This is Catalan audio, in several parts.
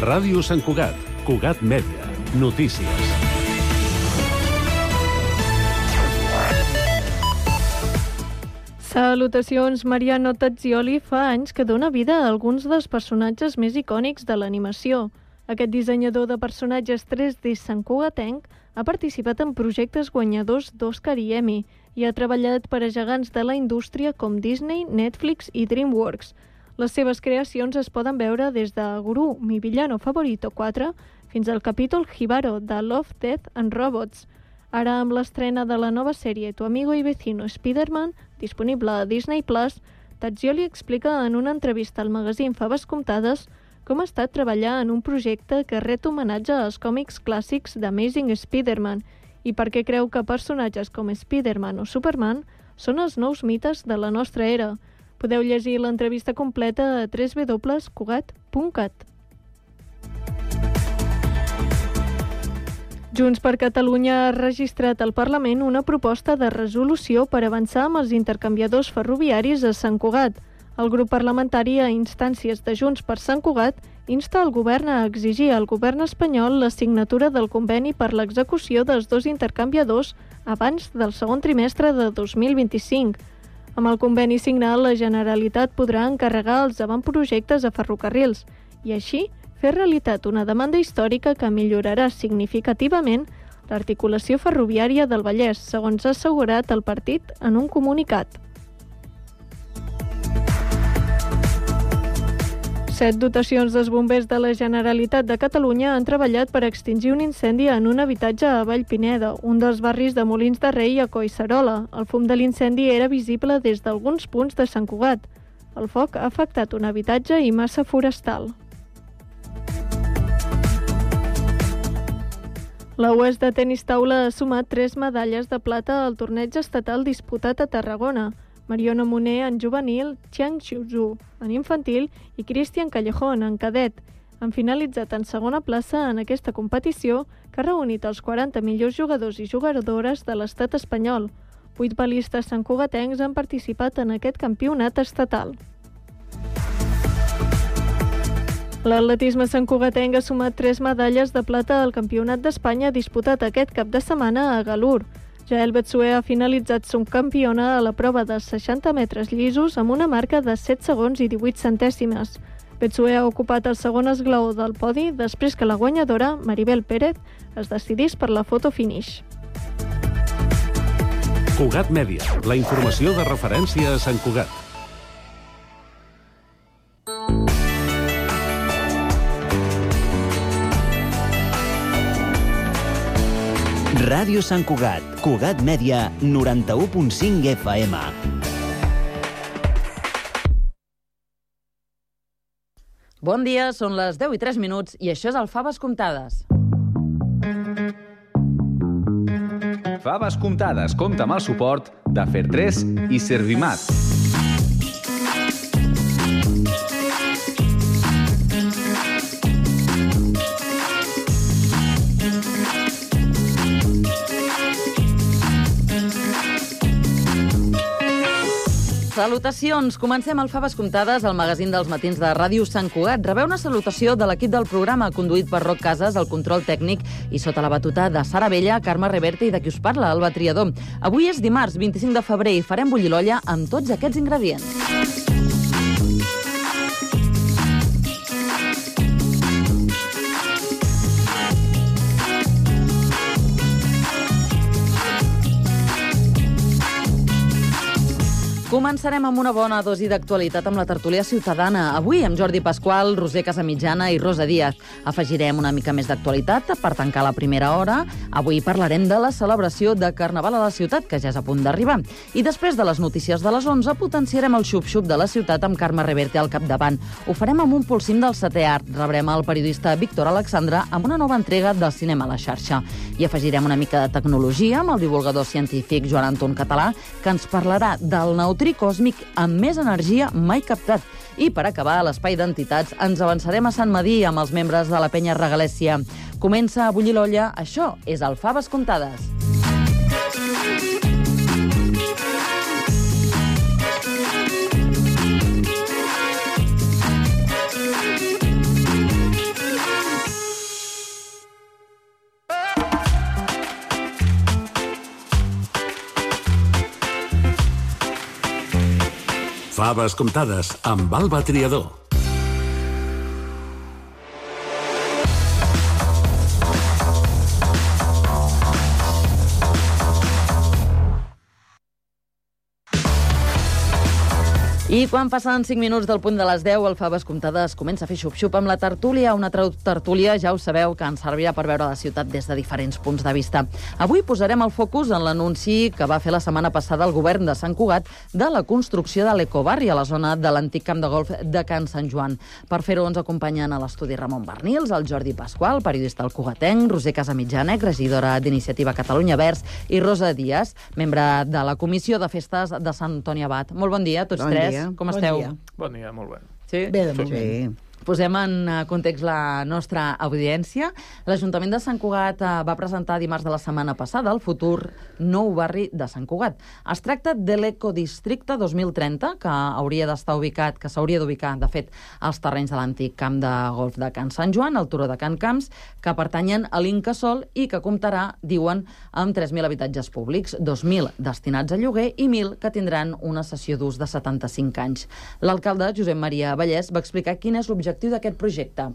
Ràdio Sant Cugat, Cugat Mèdia, notícies. Salutacions, Mariano Tazzioli fa anys que dona vida a alguns dels personatges més icònics de l'animació. Aquest dissenyador de personatges 3D santcugatenc ha participat en projectes guanyadors d'Oscar i Emmy i ha treballat per a gegants de la indústria com Disney, Netflix i DreamWorks. Les seves creacions es poden veure des de Gru, mi villano favorito 4 fins al capítol Hibaro de Love, Death and Robots. Ara, amb l'estrena de la nova sèrie Tu amigo y vecino Spider-Man, disponible a Disney+, Tazzioli explica en una entrevista al magazín Faves Comptades com ha estat treballar en un projecte que ret homenatge als còmics clàssics d'Amazing Spider-Man i per què creu que personatges com Spider-Man o Superman són els nous mites de la nostra era. Podeu llegir l'entrevista completa a www.cugat.cat. Junts per Catalunya ha registrat al Parlament una proposta de resolució per avançar amb els intercanviadors ferroviaris a Sant Cugat. El grup parlamentari, a instàncies de Junts per Sant Cugat, insta el govern a exigir al govern espanyol la signatura del conveni per l'execució dels dos intercanviadors abans del segon trimestre de 2025. Amb el conveni signat, la Generalitat podrà encarregar els avantprojectes a ferrocarrils i així fer realitat una demanda històrica que millorarà significativament l'articulació ferroviària del Vallès, segons ha assegurat el partit en un comunicat. 7 dotacions dels bombers de la Generalitat de Catalunya han treballat per extingir un incendi en un habitatge a Vallpineda, un dels barris de Molins de Rei a Collserola. El fum de l'incendi era visible des d'alguns punts de Sant Cugat. El foc ha afectat un habitatge i massa forestal. La UES de tenis taula ha sumat 3 medalles de plata al torneig estatal disputat a Tarragona. Mariona Moner en juvenil, Chiang Xiuzhu en infantil i Cristian Callejón en cadet. Han finalitzat en segona plaça en aquesta competició que ha reunit els 40 millors jugadors i jugadores de l'estat espanyol. 8 balistes santcugatencs han participat en aquest campionat estatal. L'atletisme santcugatenc ha sumat 3 medalles de plata al Campionat d'Espanya disputat aquest cap de setmana a Galur. Jael Betsué ha finalitzat subcampiona a la prova de 60 metres llisos amb una marca de 7 segons i 18 centèsimes. Betsué ha ocupat el segon esglaó del podi després que la guanyadora, Maribel Pérez, es decidís per la foto finish. Cugat Mèdia, la informació de referència a Sant Cugat. Ràdio Sant Cugat, Cugat Mèdia, 91.5 FM. Bon dia, són les 10 i 3 minuts i això és el Faves Comptades. Faves Comptades compta amb el suport de Fer3 i Servimat. Salutacions! Comencem el Faves Comptades, el magazín dels matins de Ràdio Sant Cugat. Rebeu una salutació de l'equip del programa, conduït per Roc Casas, el control tècnic, i sota la batuta de Sara Bella, Carme Reverte i de qui us parla, Alba Triador. Avui és dimarts, 25 de febrer, i farem bullir l'olla amb tots aquests ingredients. Començarem amb una bona dosi d'actualitat amb la tertúlia ciutadana. Avui amb Jordi Pasqual, Roser Casamitjana i Rosa Díaz. Afegirem una mica més d'actualitat per tancar la primera hora. Avui parlarem de la celebració de Carnaval a la ciutat, que ja és a punt d'arribar. I després de les notícies de les 11 potenciarem el xup-xup de la ciutat amb Carme Reverte al capdavant. Ho farem amb un polsim del setè art. Rebrem el periodista Víctor Alexandre amb una nova entrega del cinema a la xarxa. I afegirem una mica de tecnologia amb el divulgador científic Joan Anton Català, que ens parlarà del neutrí còsmic amb més energia mai captat. I per acabar, a l'espai d'entitats, ens avançarem a Sant Madí amb els membres de la Penya Regalèssia. Comença a bullir l'olla, això és el Faves Comptades. Faves comptades amb Alba Triador. I quan passen 5 minuts del punt de les 10, el Faves Comptades comença a fer xup-xup amb la tertúlia, una tertúlia, ja ho sabeu, que ens servirà per veure la ciutat des de diferents punts de vista. Avui posarem el focus en l'anunci que va fer la setmana passada el govern de Sant Cugat de la construcció de l'ecobarri a la zona de l'antic camp de golf de Can Sant Joan. Per fer-ho ens acompanyen a l'estudi Ramon Bernils, el Jordi Pasqual, periodista al Cugatenc, Roser Casamitjana, regidora d'Iniciativa Catalunya Verds, i Rosa Díaz, membre de la Comissió de Festes de Sant Antoni Abat. Molt bon dia a tots tres. Com esteu? Bon dia, molt bé. Sí? Bé, de moment. Posem en context la nostra audiència. L'Ajuntament de Sant Cugat va presentar dimarts de la setmana passada el futur nou barri de Sant Cugat. Es tracta de l'Ecodistricte 2030, que s'hauria d'ubicar, de fet, als terrenys de l'antic camp de golf de Can Sant Joan, al turó de Can Camps, que pertanyen a l'Incasòl i que comptarà, diuen, amb 3.000 habitatges públics, 2.000 destinats a lloguer i 1.000 que tindran una cessió d'ús de 75 anys. L'alcalde, Josep Maria Vallès, va explicar quin és l'objectiu d'aquest projecte.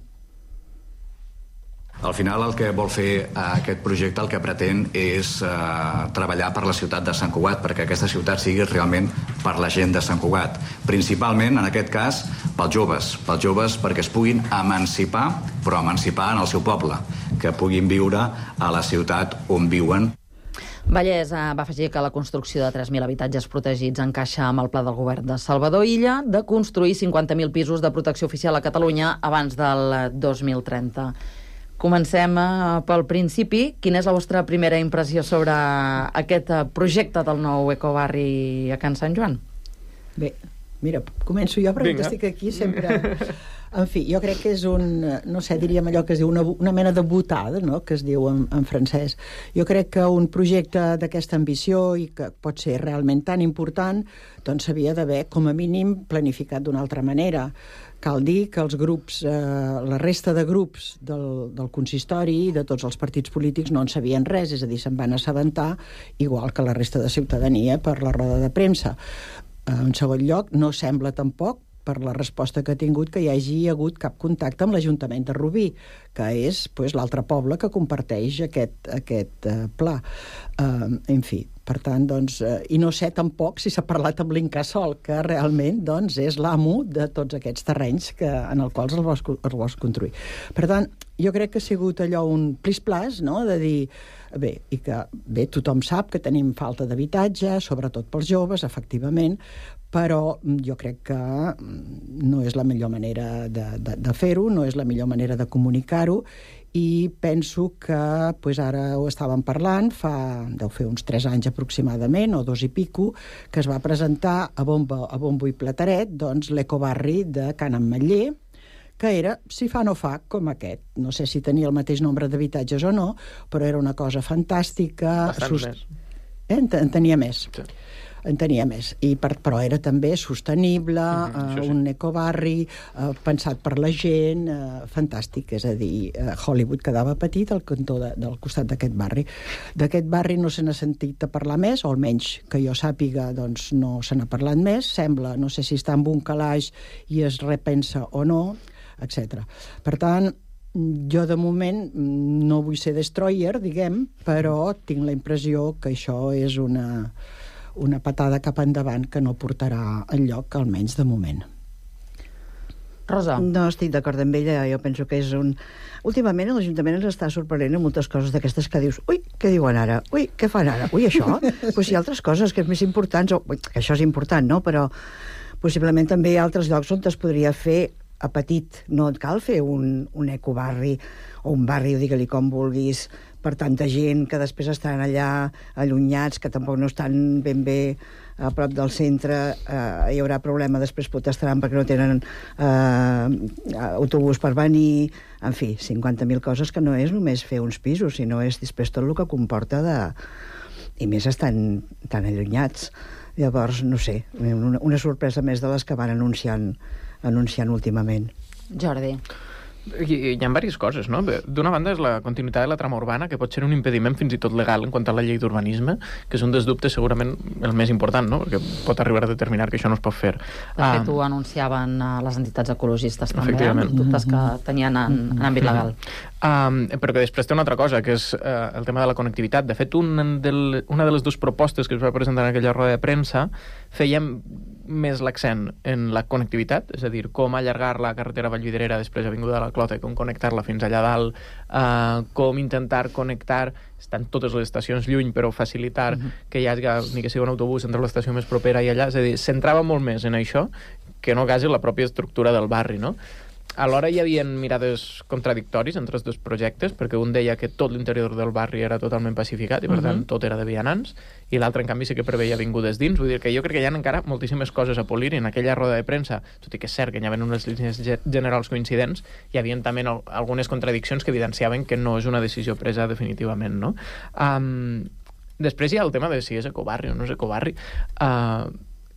Al final el que vol fer aquest projecte, el que pretén és treballar per la ciutat de Sant Cugat, perquè aquesta ciutat sigui realment per la gent de Sant Cugat. Principalment, en aquest cas, pels joves perquè es puguin emancipar, però emancipar en el seu poble, que puguin viure a la ciutat on viuen. Vallès va afegir que la construcció de 3.000 habitatges protegits encaixa amb el pla del govern de Salvador Illa de construir 50.000 pisos de protecció oficial a Catalunya abans del 2030. Comencem pel principi. Quina és la vostra primera impressió sobre aquest projecte del nou ecobarri a Can Sant Joan? Bé, mira, començo jo, però estic aquí sempre... En fi, jo crec que és no sé, diríem allò que es diu una mena de botada, no?, que es diu en francès. Jo crec que un projecte d'aquesta ambició i que pot ser realment tan important, doncs s'havia d'haver, com a mínim, planificat d'una altra manera. Cal dir que els grups, la resta de grups del consistori i de tots els partits polítics no en sabien res, és a dir, se'n van assabentar, igual que la resta de ciutadania per la roda de premsa. En segon lloc, no sembla tampoc, per la resposta que ha tingut, que hi hagi hagut cap contacte amb l'Ajuntament de Rubí, que és l'altre poble que comparteix aquest pla. En fi, per tant, doncs, i no sé tampoc si s'ha parlat amb l'Incasòl, que realment doncs, és l'amo de tots aquests terrenys en els quals els vols construir. Per tant, jo crec que ha sigut allò un plis-plas, no?, de dir... Bé, tothom sap que tenim falta d'habitatge, sobretot pels joves, efectivament, però jo crec que no és la millor manera de fer-ho, no és la millor manera de comunicar-ho, i penso que ara ho estàvem parlant, deu fer uns 3 anys aproximadament, o 2 i pico, que es va presentar a bombo i plateret, doncs, l'ecobarri de Can Ametller, que era, si fa no fa, com aquest. No sé si tenia el mateix nombre d'habitatges o no, però era una cosa fantàstica. Bastant més. En tenia més. Sí. En tenia més. Però era també sostenible, un ecobarri pensat per la gent, fantàstic. És a dir, Hollywood quedava petit al cantó del costat d'aquest barri. D'aquest barri no se n'ha sentit a parlar més, o almenys que jo sàpiga, doncs no se n'ha parlat més. Sembla, no sé si està en un calaix i es repensa o no, etc. Per tant, jo de moment no vull ser destroyer, diguem, però tinc la impressió que això és una patada cap endavant que no portarà enlloc, almenys de moment. Rosa. No estic d'acord amb ella, jo penso que és Últimament l'Ajuntament ens està sorprenent en moltes coses d'aquestes que dius, ui, què diuen ara? Ui, què fan ara? Ui, això? Pues hi ha altres coses que és més importants, que això és important, no? Però possiblement també hi ha altres llocs on es podria fer a petit. No et cal fer un ecobarri o un barri, o digue-li com vulguis, per tanta gent que després estaran allà allunyats, que tampoc no estan ben bé a prop del centre. Hi haurà problema, després protestaran perquè no tenen autobús per venir. En fi, 50.000 coses que no és només fer uns pisos, sinó és després tot el que comporta i més estan tan allunyats. Llavors, no sé, una sorpresa més de les que van anunciant últimament. Jordi. Hi ha diverses coses, no? D'una banda és la continuïtat de la trama urbana, que pot ser un impediment fins i tot legal en quant a la llei d'urbanisme, que és un dels dubtes segurament el més important, no? Perquè pot arribar a determinar que això no es pot fer. De fet, ho anunciaven les entitats ecologistes també, els dubtes que tenien en àmbit legal. Però que després té una altra cosa, que és el tema de la connectivitat. De fet, una de les dues propostes que es va presentar en aquella roda de premsa fèiem més l'accent en la connectivitat, és a dir, com allargar la carretera Vallvidrera després Avinguda de la Clota i com connectar-la fins allà dalt, com intentar connectar, estan totes les estacions lluny, però facilitar que hi hagi, ni que sigui un autobús entre l'estació més propera i allà, és a dir, centrava molt més en això que no quasi la pròpia estructura del barri, no? Alhora hi havia mirades contradictoris entre els dos projectes, perquè un deia que tot l'interior del barri era totalment pacificat i per tant tot era de vianants, i l'altre en canvi sí que preveia avingudes dins. Vull dir que jo crec que hi ha encara moltíssimes coses a polir, i en aquella roda de premsa, tot i que és cert que hi havia unes línies generals coincidents, hi havia també algunes contradiccions que evidenciaven que no és una decisió presa definitivament, no? Després hi ha el tema de si és ecobarri o no és ecobarri.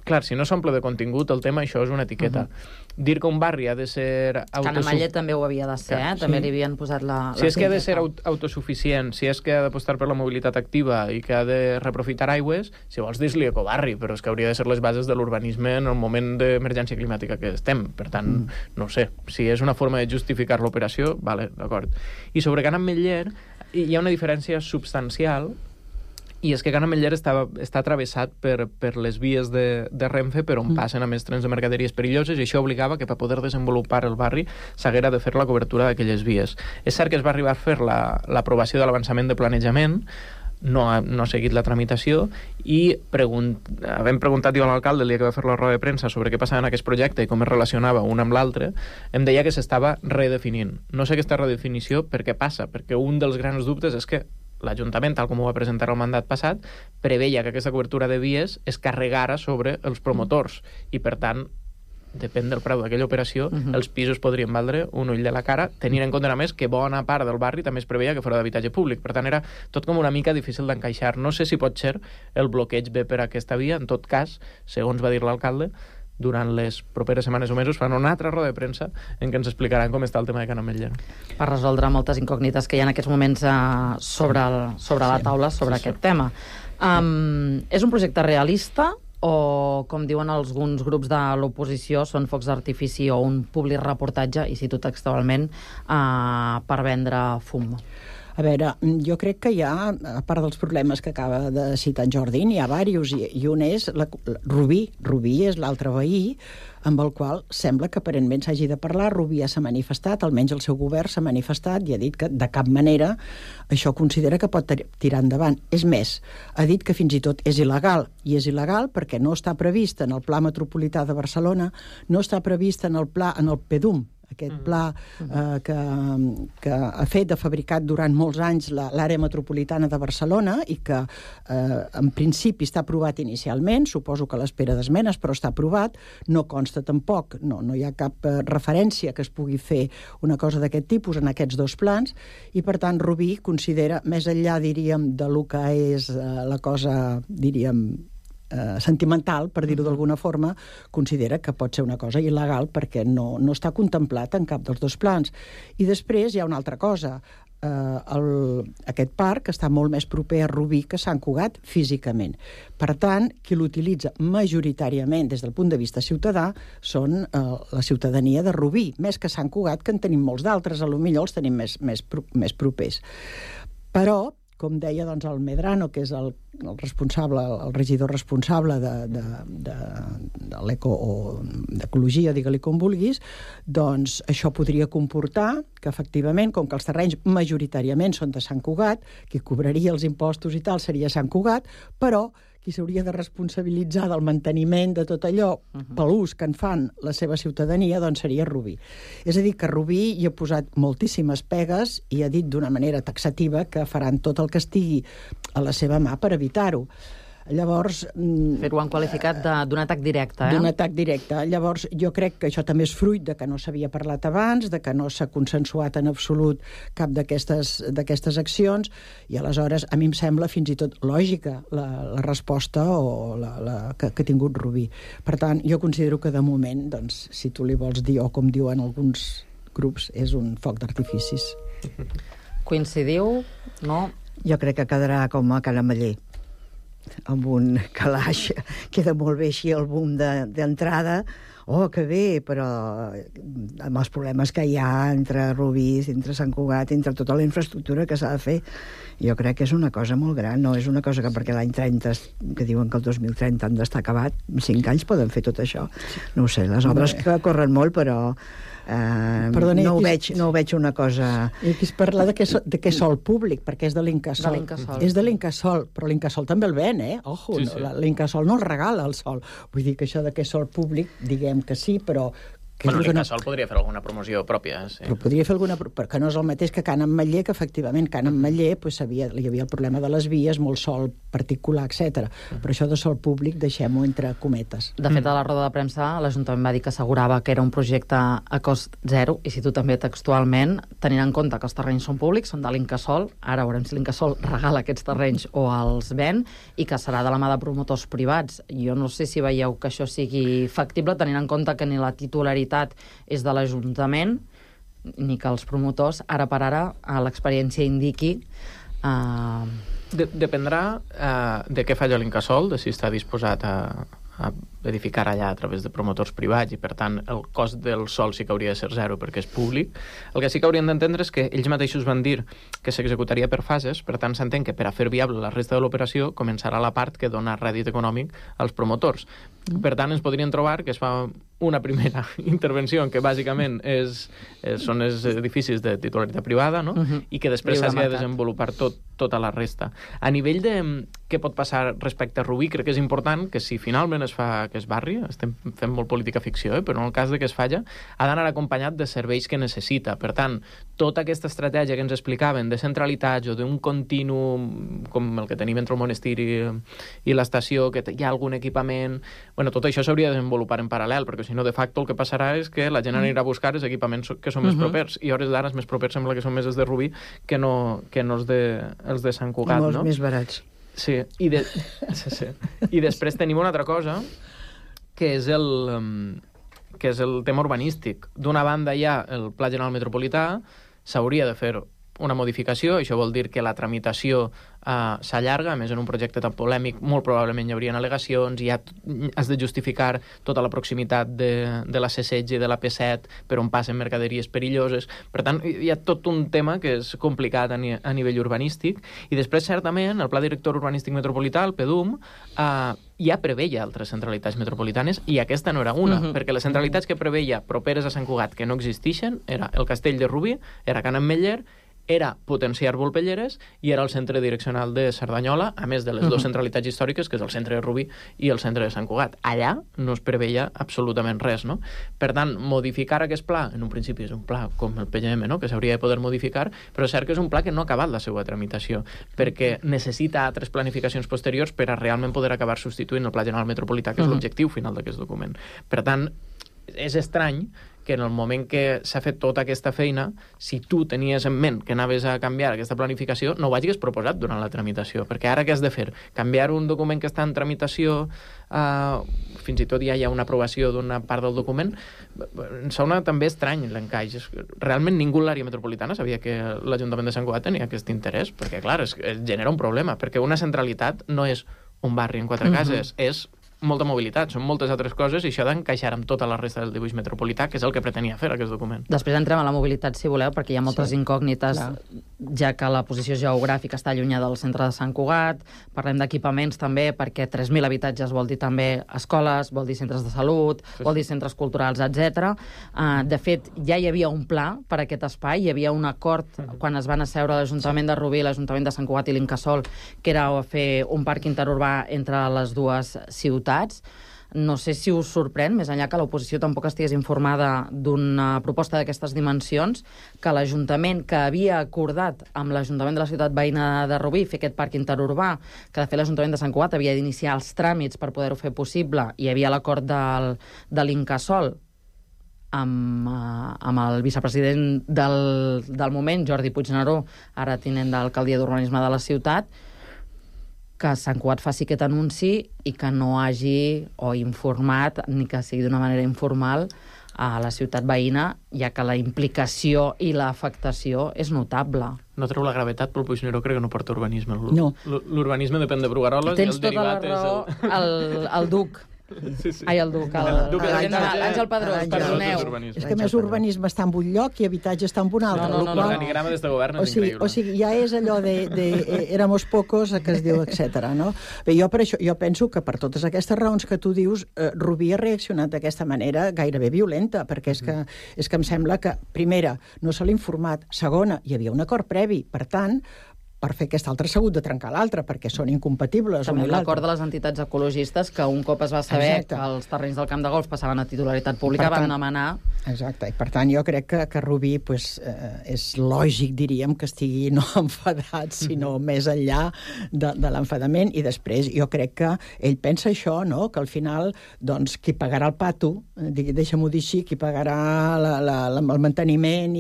Clar, si no s'omple de contingut el tema, això és una etiqueta. Dir que un barri ha de ser... Canamallet també ho havia de ser, també li havien posat la... Si és que ha de ser autosuficient, si és que ha d'apostar per la mobilitat activa i que ha de reprofitar aigües, si vols dir-li ecobarri, però és que hauria de ser les bases de l'urbanisme en el moment d'emergència climàtica que estem. Per tant, no sé, si és una forma de justificar l'operació, vale, d'acord. I sobre Can Ametller hi ha una diferència substancial, i és que Can Ametller està travessat per les vies de Renfe per on passen a més trens de mercaderies perilloses, i això obligava que per poder desenvolupar el barri s'haguera de fer la cobertura d'aquelles vies. És cert que es va arribar a fer l'aprovació de l'avançament de planejament, no ha seguit la tramitació, i havent preguntat jo a l'alcalde el dia que va fer la roda de premsa sobre què passava en aquest projecte i com es relacionava un amb l'altre, em deia que s'estava redefinint. No sé aquesta redefinició per què passa, perquè un dels grans dubtes és que l'Ajuntament, tal com ho va presentar el mandat passat, preveia que aquesta cobertura de vies es carregara sobre els promotors, i per tant, depèn del preu d'aquella operació, els pisos podrien valdre un ull de la cara, tenint en compte a més que bona part del barri també es preveia que fos d'habitatge públic. Per tant, era tot com una mica difícil d'encaixar. No sé si pot ser el bloqueig ve per aquesta via. En tot cas, segons va dir l'alcalde, durant les properes setmanes o mesos fan una altra roda de premsa en què ens explicaran com està el tema de Can Ametller. Per resoldre moltes incògnites que hi ha en aquests moments sobre la taula sobre aquest tema. És un projecte realista o, com diuen alguns grups de l'oposició, són focs d'artifici o un public reportatge, i cito textualment, per vendre fum? A veure, jo crec que hi ha, a part dels problemes que acaba de citar en Jordi, hi ha diversos, i un és Rubí. Rubí és l'altre veí amb el qual sembla que aparentment s'hagi de parlar. Rubí ja s'ha manifestat, almenys el seu govern s'ha manifestat i ha dit que de cap manera això considera que pot tirar endavant. És més, ha dit que fins i tot és il·legal, i és il·legal perquè no està previst en el Pla Metropolità de Barcelona, no està previst en el PEDUM, aquest pla que ha fet, ha fabricat durant molts anys l'àrea metropolitana de Barcelona, i que en principi està aprovat inicialment, suposo que a l'espera d'esmenes, però està aprovat, no consta tampoc, no hi ha cap referència que es pugui fer una cosa d'aquest tipus en aquests dos plans, i per tant Rubí considera, més enllà, diríem, de lo que és la cosa, diríem, sentimental, per dir-ho d'alguna forma, considera que pot ser una cosa il·legal perquè no està contemplat en cap dels dos plans. I després hi ha una altra cosa. Aquest parc està molt més proper a Rubí que Sant Cugat físicament. Per tant, qui l'utilitza majoritàriament des del punt de vista ciutadà són la ciutadania de Rubí, més que Sant Cugat, que en tenim molts d'altres, potser els tenim més propers. Però com deia el Medrano, que és el regidor responsable de l'eco o d'ecologia, digue-li com vulguis, doncs això podria comportar que efectivament, com que els terrenys majoritàriament són de Sant Cugat, qui cobraria els impostos i tal seria Sant Cugat, però qui s'hauria de responsabilitzar del manteniment de tot allò per l'ús que en fan la seva ciutadania, doncs seria Rubí. És a dir, que Rubí hi ha posat moltíssimes pegues i ha dit d'una manera taxativa que faran tot el que estigui a la seva mà per evitar-ho. Llavors... Però ho han qualificat d'un atac directe, D'un atac directe. Llavors, jo crec que això també és fruit de que no s'havia parlat abans, de que no s'ha consensuat en absolut cap d'aquestes accions, i aleshores a mi em sembla fins i tot lògica la resposta que ha tingut Rubí. Per tant, jo considero que de moment, doncs, si tu li vols dir, o com diuen alguns grups és un foc d'artificis. Coincidiu? No? Jo crec que quedarà com a Can Ametller, amb un calaix. Queda molt bé així el boom d'entrada. Oh, que bé, però amb els problemes que hi ha entre Rubí, entre Sant Cugat, entre tota la infraestructura que s'ha de fer, jo crec que és una cosa molt gran, no és una cosa que perquè l'any 30, que diuen que el 2030 han d'estar acabat, en 5 anys poden fer tot això. No ho sé, les obres que corren molt, però Perdoni, no ho veig una cosa... I aquí es parla de què sol públic, perquè és de l'Incasòl. És de l'Incasòl, però l'Incasòl també el ven, Ojo, sí, sí. L'Incasòl no el regala el sol. Vull dir que això de què sol públic, diguem que sí, però... l'Incasòl podria fer alguna promoció pròpia, sí. Però podria fer alguna... Perquè no és el mateix que Can Ametller, que efectivament Can Ametller hi havia el problema de les vies, molt sol particular, etc. Però això de sol públic deixem-ho entre cometes. De fet, a la roda de premsa, l'Ajuntament va dir que assegurava que era un projecte a cost zero, i si tu també textualment, tenint en compte que els terrenys són públics, són de l'Incasòl, ara veurem si l'Incasòl regala aquests terrenys o els ven, i que serà de la mà de promotors privats. Jo no sé si veieu que això sigui factible, tenint en compte que ni la titularitat és de l'Ajuntament, ni que els promotors, ara per ara, a l'experiència indiqui... Dependrà de què falla l'Incasòl, de si està disposat a edificar allà a través de promotors privats, i per tant el cost del sòl sí que hauria de ser zero perquè és públic. El que sí que haurien d'entendre és que ells mateixos van dir que s'executaria per fases, per tant s'entén que per a fer viable la resta de l'operació començarà la part que dona rèdit econòmic als promotors. Per tant ens podrien trobar que es fa una primera intervenció en què bàsicament són els edificis de titularitat privada, no? I que després s'hagi de desenvolupar tota la resta. A nivell de què pot passar respecte a Rubí, crec que és important que si finalment es fa que es barri, estem fent molt política ficció, però en el cas de que es falla, ha d'anar acompanyat de serveis que necessita. Per tant, tota aquesta estratègia que ens explicaven de centralitats o d'un continu com el que tenim entre el monestir i l'estació, que hi ha algun equipament... Bueno, tot això s'hauria de desenvolupar en paral·lel, perquè si no, de facto, el que passarà és que la gent anirà a buscar els equipaments que són més propers, i a hores d'ara els més propers sembla que són més els de Rubí que no els de Sant Cugat, no? Molts més barats. Sí. I després tenim una altra cosa, que és el tema urbanístic. D'una banda hi ha el Pla General Metropolità, s'hauria de fer una modificació, això vol dir que la tramitació s'allarga, a més en un projecte tan polèmic molt probablement hi haurien al·legacions, i has de justificar tota la proximitat de la C16 i de la P7 per on passen mercaderies perilloses. Per tant, hi ha tot un tema que és complicat a nivell urbanístic, i després certament el Pla Director Urbanístic Metropolità, el PDUM, ja preveia altres centralitats metropolitanes, i aquesta no era una, perquè les centralitats que preveia properes a Sant Cugat que no existeixen era el Castell de Rubí, era Can Ametller, era potenciar Volpelleres i era el centre direccional de Cerdanyola, a més de les dues centralitats històriques, que és el centre de Rubí i el centre de Sant Cugat. Allà no es preveia absolutament res, no? Per tant, modificar aquest pla, en un principi és un pla com el PGM, no?, que s'hauria de poder modificar, però és cert que és un pla que no ha acabat la seva tramitació, perquè necessita altres planificacions posteriors per a realment poder acabar substituint el Pla General Metropolità, que és l'objectiu final d'aquest document. Per tant, és estrany que en el moment que s'ha fet tota aquesta feina, si tu tenies en ment que anaves a canviar aquesta planificació, no ho hagis proposat durant la tramitació, perquè ara què has de fer? Canviar un document que està en tramitació, fins i tot ja hi ha una aprovació d'una part del document? Em sona també estrany l'encaix. Realment ningú a l'àrea metropolitana sabia que l'Ajuntament de Sant Cugat tenia aquest interès, perquè clar, es genera un problema, perquè una centralitat no és un barri en 4 cases, és molta mobilitat, són moltes altres coses, i això d'encaixar amb tota la resta del dibuix metropolità, que és el que pretenia fer aquest document. Després entrem a la mobilitat, si voleu, perquè hi ha moltes incògnites, ja que la posició geogràfica està allunyada del centre de Sant Cugat. Parlem d'equipaments també, perquè 3.000 habitatges vol dir també escoles, vol dir centres de salut, vol dir centres culturals, etc. De fet, ja hi havia un pla per a aquest espai, hi havia un acord quan es van asseure l'Ajuntament de Rubí, l'Ajuntament de Sant Cugat i l'Incasòl, que era fer un parc interurbà entre les dues ciutats. No sé si us sorprèn, més enllà que l'oposició tampoc estigués informada d'una proposta d'aquestes dimensions, que l'Ajuntament, que havia acordat amb l'Ajuntament de la ciutat veïna de Rubí fer aquest parc interurbà, que de fet l'Ajuntament de Sant Cugat havia d'iniciar els tràmits per poder-ho fer possible, i hi havia l'acord de l'Incasòl amb el vicepresident del moment, Jordi Puigneró, ara tinent d'alcaldia d'urbanisme de la ciutat, que Sant Cugat faci aquest anunci i que no hagi o informat, ni que sigui d'una manera informal, a la ciutat veïna, ja que la implicació i l'afectació és notable. No treu la gravetat, però el Puigneró crec que no porta urbanisme. No. L'urbanisme depèn de Brugaroles Tens i el tota la derivat raó, és el Duc. Sí. Ai, el Duc, Àngel Pedrós, perdoneu. És que més urbanisme està en un lloc i habitatge està en un altre. No. L'organigrama des de govern és increïble. O sigui, ja és allò de éramos pocos, que es diu, etc. No? Bé, jo penso que per totes aquestes raons que tu dius, Rubí ha reaccionat d'aquesta manera gairebé violenta, perquè és que em sembla que, primera, no se l'ha informat, segona, hi havia un acord previ, per tant, per fer aquest altre s'ha hagut de trencar l'altre, perquè són incompatibles. També l'acord de les entitats ecologistes, que un cop es va saber Exacte. que els terrenys del camp de golf passaven a titularitat pública, van demanar... Exacte, i per tant jo crec que Rubí és lògic, diríem, que estigui no enfadat, sinó més enllà de l'enfadament, i després jo crec que ell pensa això, no? Que al final, doncs, qui pagarà el pato, deixa'm-ho dir així, qui pagarà el manteniment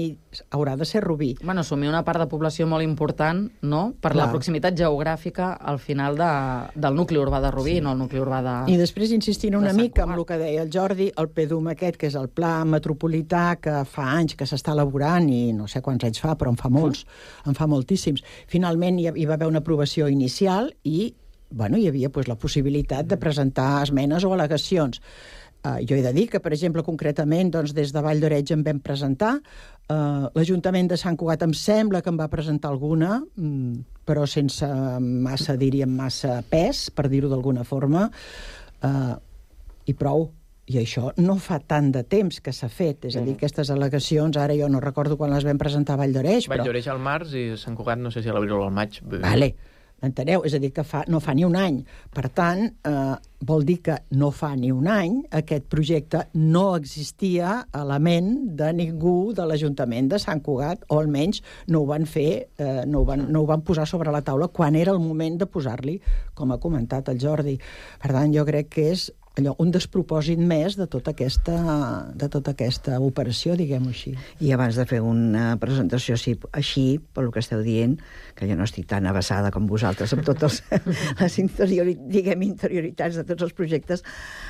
haurà de ser Rubí. Bueno, assumir una part de població molt important, no? Per la proximitat geogràfica al final del nucli urbà de Rubí, no el nucli urbà de... I després insistint una mica amb el que deia el Jordi, el PDUM aquest, que és el Pla Metropolità, que fa anys que s'està elaborant, i no sé quants anys fa, però en fa molts, en fa moltíssims. Finalment hi va haver una aprovació inicial i hi havia la possibilitat de presentar esmenes o al·legacions. Jo he de dir que, per exemple, concretament, des de Vall d'Oreig en vam presentar, l'Ajuntament de Sant Cugat em sembla que en va presentar alguna, però sense massa pes, per dir-ho d'alguna forma, i prou. I això no fa tant de temps que s'ha fet. És a dir, aquestes al·legacions, ara jo no recordo quan les vam presentar a Vall d'Oreig, Vall d'Oreig al març i Sant Cugat no sé si a l'abril o al maig. Vale. Enteneu? És a dir, que no fa ni un any. Per tant, vol dir que no fa ni un any aquest projecte no existia a la ment de ningú de l'Ajuntament de Sant Cugat, o almenys no ho van fer, no ho van posar sobre la taula quan era el moment de posar-li, com ha comentat el Jordi. Per tant, jo crec que és un despropòsit més de tota aquesta operació, diguem-ho així. I abans de fer una presentació així, pel que esteu dient, que jo no estic tan avançada com vosaltres amb totes les interioritats de tots els projectes,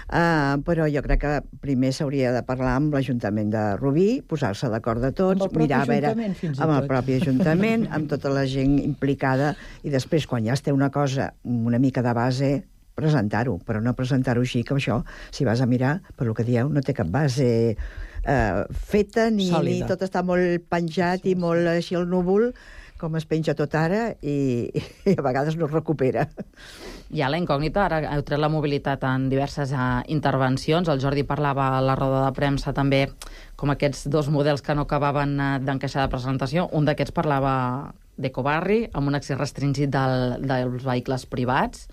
però jo crec que primer s'hauria de parlar amb l'Ajuntament de Rubí, posar-se d'acord de tots, mirar a veure amb el propi Ajuntament, amb tota la gent implicada, i després, quan ja es té una cosa una mica de base, presentar-ho, però no presentar-ho així, que això, si vas a mirar, per lo que dieu, no té cap base feta, ni tot està molt penjat i molt així al núvol, com es penja tot ara, i a vegades no es recupera. Hi ha la incògnita, ara heu tret la mobilitat en diverses intervencions, el Jordi parlava a la roda de premsa també com aquests dos models que no acabaven d'encaixar de presentació, un d'aquests parlava d'ecobarri, amb un accés restringit dels vehicles privats.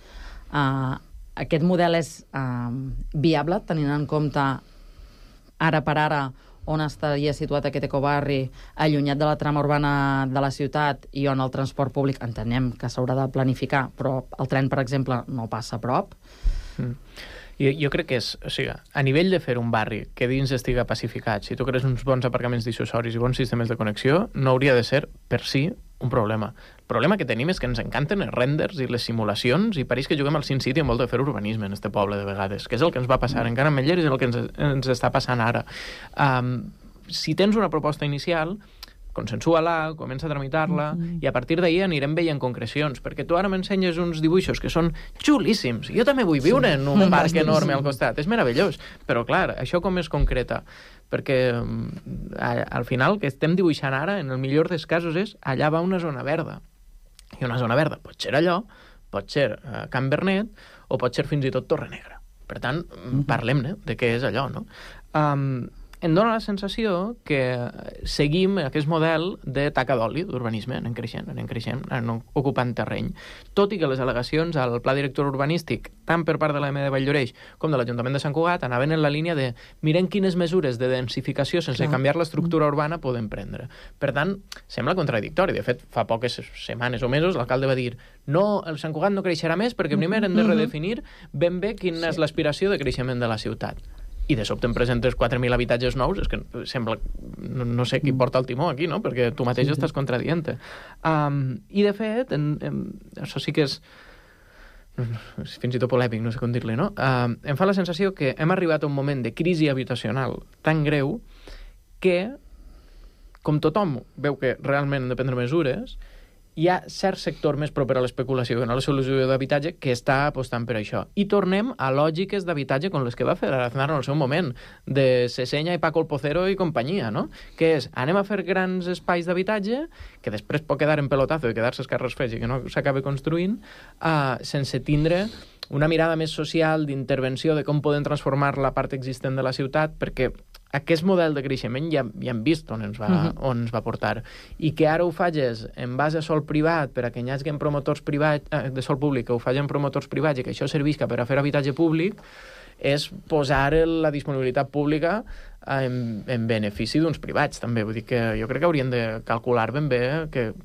Aquest model és viable, tenint en compte ara per ara on estaria situat aquest ecobarri, allunyat de la trama urbana de la ciutat i on el transport públic, entenem que s'haurà de planificar, però el tren, per exemple, no passa a prop. Jo crec que és, o sigui, a nivell de fer un barri que dins estiga pacificat, si tu crees uns bons aparcaments dissuasoris i bons sistemes de connexió, no hauria de ser, per si, un problema. El problema que tenim és que ens encanten els renders i les simulacions, i pareix que juguem al Sin City en vol de fer urbanisme en este poble de vegades, que és el que ens va passar encara amb Meller i és el que ens està passant ara. Si tens una proposta inicial, consensua-la, comença a tramitar-la, i a partir d'ahir anirem veient concrecions, perquè tu ara m'ensenyes uns dibuixos que són xulíssims. Jo també vull viure en un parc enorme al costat, és meravellós, però clar, això com es concreta? Perquè al final el que estem dibuixant ara, en el millor dels casos, és allà va una zona verda. I una zona verda pot ser allò, pot ser Can Bernet, o pot ser fins i tot Torrenegra. Per tant, parlem-ne de què és allò, no? Em dóna la sensació que seguim aquest model de taca d'oli d'urbanisme, anem creixent, anem ocupant terreny. Tot i que les al·legacions al pla director urbanístic, tant per part de l'AM de Vall d'Oreig com de l'Ajuntament de Sant Cugat, anaven en la línia de mirem quines mesures de densificació sense canviar l'estructura urbana podem prendre. Per tant, sembla contradictori. De fet, fa poques setmanes o mesos l'alcalde va dir no, el Sant Cugat no creixerà més perquè primer hem de redefinir ben bé quina és l'aspiració de creixement de la ciutat. I de sobte em presentes 4.000 habitatges nous, és que sembla... No sé qui porta el timó aquí, no? Perquè tu mateix estàs contradient. I, de fet, això sí que és... fins i tot polèmic, no sé com dir-li, no? Em fa la sensació que hem arribat a un moment de crisi habitacional tan greu que, com tothom veu que realment hem de prendre mesures, hi ha cert sector més proper a l'especulació que no a la solució d'habitatge que està apostant per això. I tornem a lògiques d'habitatge com les que va fer Aznar en el seu moment, de Sesenya i Paco el Pocero i companyia, no? Que és, anem a fer grans espais d'habitatge, que després pot quedar en pelotazo i quedar-se els carrers fets i que no s'acabi construint, sense tindre una mirada més social, d'intervenció, de com podem transformar la part existent de la ciutat, perquè aquest model de creixement ja hem vist on ens va portar. I que ara ho facis en base a sol privat, per a que hi hagi promotors privats, de sol públic, que ho facin promotors privats i que això servisca per a fer habitatge públic, és posar la disponibilitat pública en benefici d'uns privats, també. Vull dir que jo crec que hauríem de calcular ben bé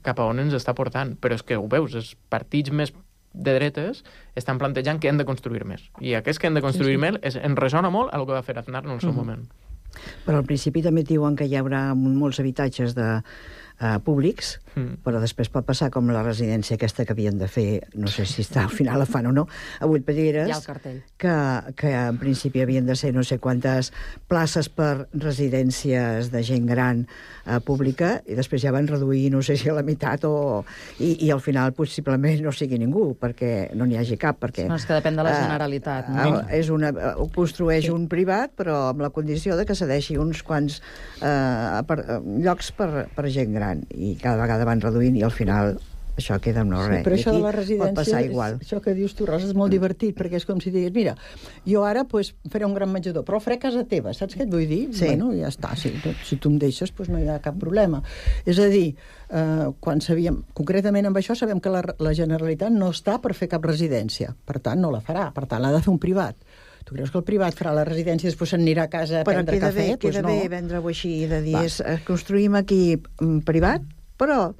cap a on ens està portant. Però és que ho veus, els partits més de dretes estan plantejant que hem de construir més. I aquests que hem de construir més en resona molt a el que va fer Aznar en el seu moment. Però al principi també diuen que hi haurà molts habitatges públics, però després pot passar com la residència aquesta que havien de fer, no sé si al final la fan o no, a Vuitpelleres, hi ha el cartell. Que en principi havien de ser no sé quantes places per residències de gent gran pública, i després ja van reduir no sé si a la meitat i al final possiblement no sigui ningú, perquè no n'hi hagi cap, perquè... No, és que depèn de la Generalitat. Ho construeix un privat, però amb la condició de que cedeixi uns quants llocs per gent gran, i cada vegada van reduint i al final això queda amb no res. Però això de la residència, pot passar igual. Això que dius tu, Rosa, és molt divertit, perquè és com si digués, mira, jo ara faré un gran menjador, però el faré a casa teva, saps què et vull dir? Sí. Bueno, ja està, si tu em deixes, no hi ha cap problema. És a dir, quan sabíem, concretament amb això, sabem que la Generalitat no està per fer cap residència, per tant no la farà, per tant l'ha de fer un privat. Tu creus que el privat farà la residència i després se'n anirà a casa a prendre cafè? Però queda bé vendre-ho així, de dir, construïm aquí privat, però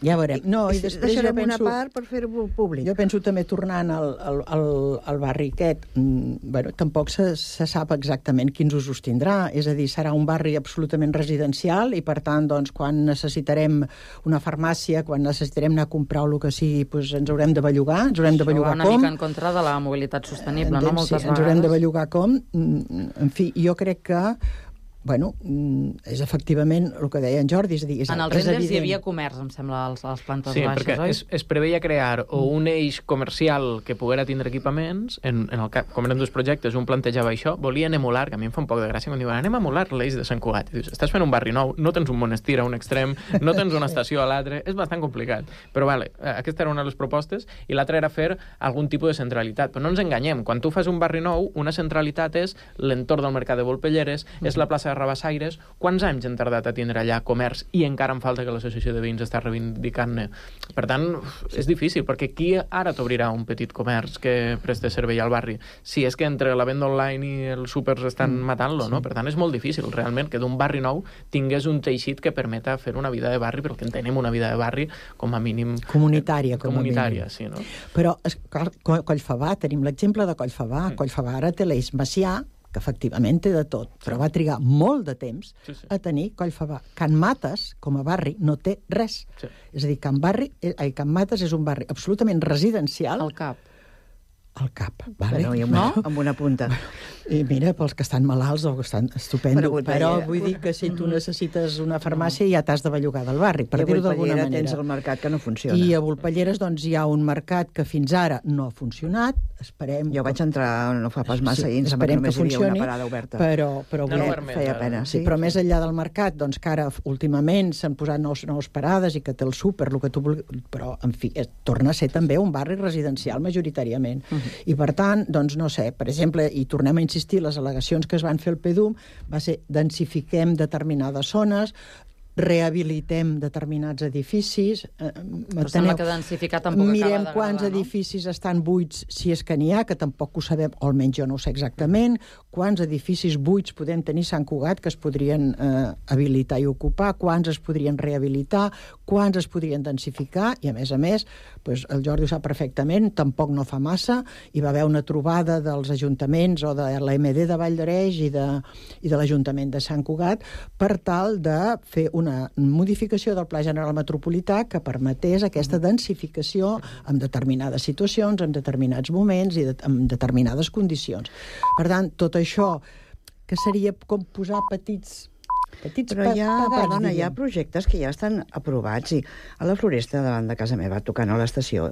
ja veurem. No, i després deixarem una part per fer-ho públic. Jo penso també, tornant al barri aquest, bueno, tampoc se sap exactament quins usos tindrà, és a dir, serà un barri absolutament residencial i, per tant, doncs, quan necessitarem una farmàcia, quan necessitarem anar a comprar el que sigui, doncs ens haurem de bellugar, ens haurem de bellugar com. Una mica en contra de la mobilitat sostenible, no? Moltes vegades. Ens haurem de bellugar com. En fi, jo crec que bueno, és efectivament el que deia en Jordi, és a dir, en els renders hi havia comerç, em sembla, a les plantes baixes, perquè oi? Es preveia crear un eix comercial que poguera tindre equipaments, com eren dos projectes, un plantejava això, volien emular, que a mi em fa un poc de gràcia quan diuen, anem a emular l'eix de Sant Cugat, i dius, estàs fent un barri nou, no tens un monestir a un extrem, no tens una estació a l'altre, és bastant complicat, però vale, aquesta era una de les propostes, i l'altra era fer algun tipus de centralitat, però no ens enganyem, quan tu fas un barri nou, una centralitat és l'entorn del mercat de Volpelleres, és la plaça de Rabassaires. Quants anys han tardat a tindre allà comerç i encara em falta que l'associació de veïns està reivindicant-ne? Per tant, és difícil, perquè qui ara t'obrirà un petit comerç que preste servei al barri? Si és que entre la venda online i els súpers estan matant-lo, no? Per tant, és molt difícil, realment, que d'un barri nou tingués un teixit que permeta fer una vida de barri, perquè entenem una vida de barri com a mínim... Comunitària, sí, no? Però, Collfabà, tenim l'exemple de Collfabà. Collfabà ara té l'eix Macià, que efectivament té de tot, però va trigar molt de temps a tenir Collfabà. Can Mates, com a barri, no té res. És a dir, Can Mates és un barri absolutament residencial. Al Cap. Al Cap, vale? No? Amb una punta. I mira, pels que estan malalts o que estan estupendo, però vull dir que si tu necessites una farmàcia ja t'has de bellugar del barri, per dir-ho d'alguna manera. Tens el mercat que no funciona. I a Volpelleres doncs hi ha un mercat que fins ara no ha funcionat, esperem... Jo vaig entrar no fa pas massa i esperem que funcioni, una parada oberta. Però feia pena. Sí, però més enllà del mercat, doncs que ara últimament s'han posat nous parades i que té el súper, el que tu vulguis, però en fi, torna a ser també un barri residencial majoritàriament. I per tant, doncs no sé, per exemple, i tornem a insistir, les al·legacions que es van fer al PDUM va ser densifiquem determinades zones, rehabilitem determinats edificis. Però sembla que densificar tampoc acaba mirem d'agradar, quants edificis estan buits, si és que n'hi ha, que tampoc ho sabem, o almenys jo no ho sé exactament, quants edificis buits podem tenir a Sant Cugat que es podrien habilitar i ocupar, quants es podrien rehabilitar, quants es podrien densificar, i a més, doncs, el Jordi ho sap perfectament, tampoc no fa massa, hi va haver una trobada dels ajuntaments o de l'AMD de Vall d'Areix i de l'Ajuntament de Sant Cugat per tal de fer una una modificació del Pla General Metropolità que permetés aquesta densificació en determinades situacions, en determinats moments i en determinades condicions. Per tant, tot això, que seria com posar petits però hi ha projectes que ja estan aprovats, i a la Floresta, davant de casa meva, tocant a l'estació,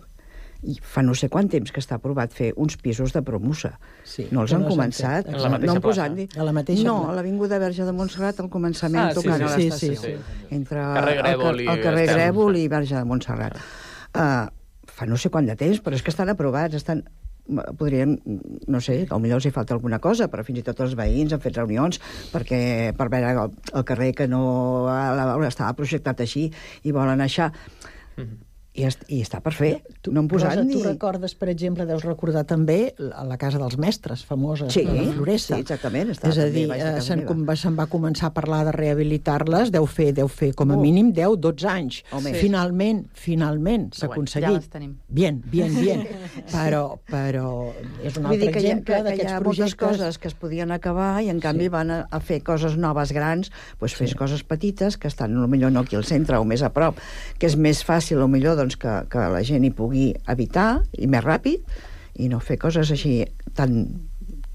i fa no sé quant temps que està aprovat fer uns pisos de promussa. No els han començat. En la mateixa plaça. A la mateixa no, a l'Avinguda Verge de Montserrat, al començament, tocant a l'estació. Entre el carrer Grèvol i Verge de Montserrat. Fa no sé quant de temps, però és que estan aprovats, podríem, no sé, potser els hi falta alguna cosa, però fins i tot els veïns han fet reunions per veure el carrer que no estava projectat així i volen així. I està per fer. No han posat ni... Tu recordes, per exemple, deus recordar també la Casa dels Mestres, famosa, de la Floresta. Sí, exactament. És a dir, se'n va començar a parlar de rehabilitar-les, deu fer com a mínim 10-12 anys. Finalment s'ha aconseguit. Ja les tenim. Bien. Però és un altre exemple d'aquests projectes. Hi ha moltes coses que es podien acabar i, en canvi, van a fer coses noves grans, doncs fes coses petites que estan, potser no aquí al centre o més a prop, que és més fàcil, potser, que la gent hi pugui habitar i més ràpid, i no fer coses així tan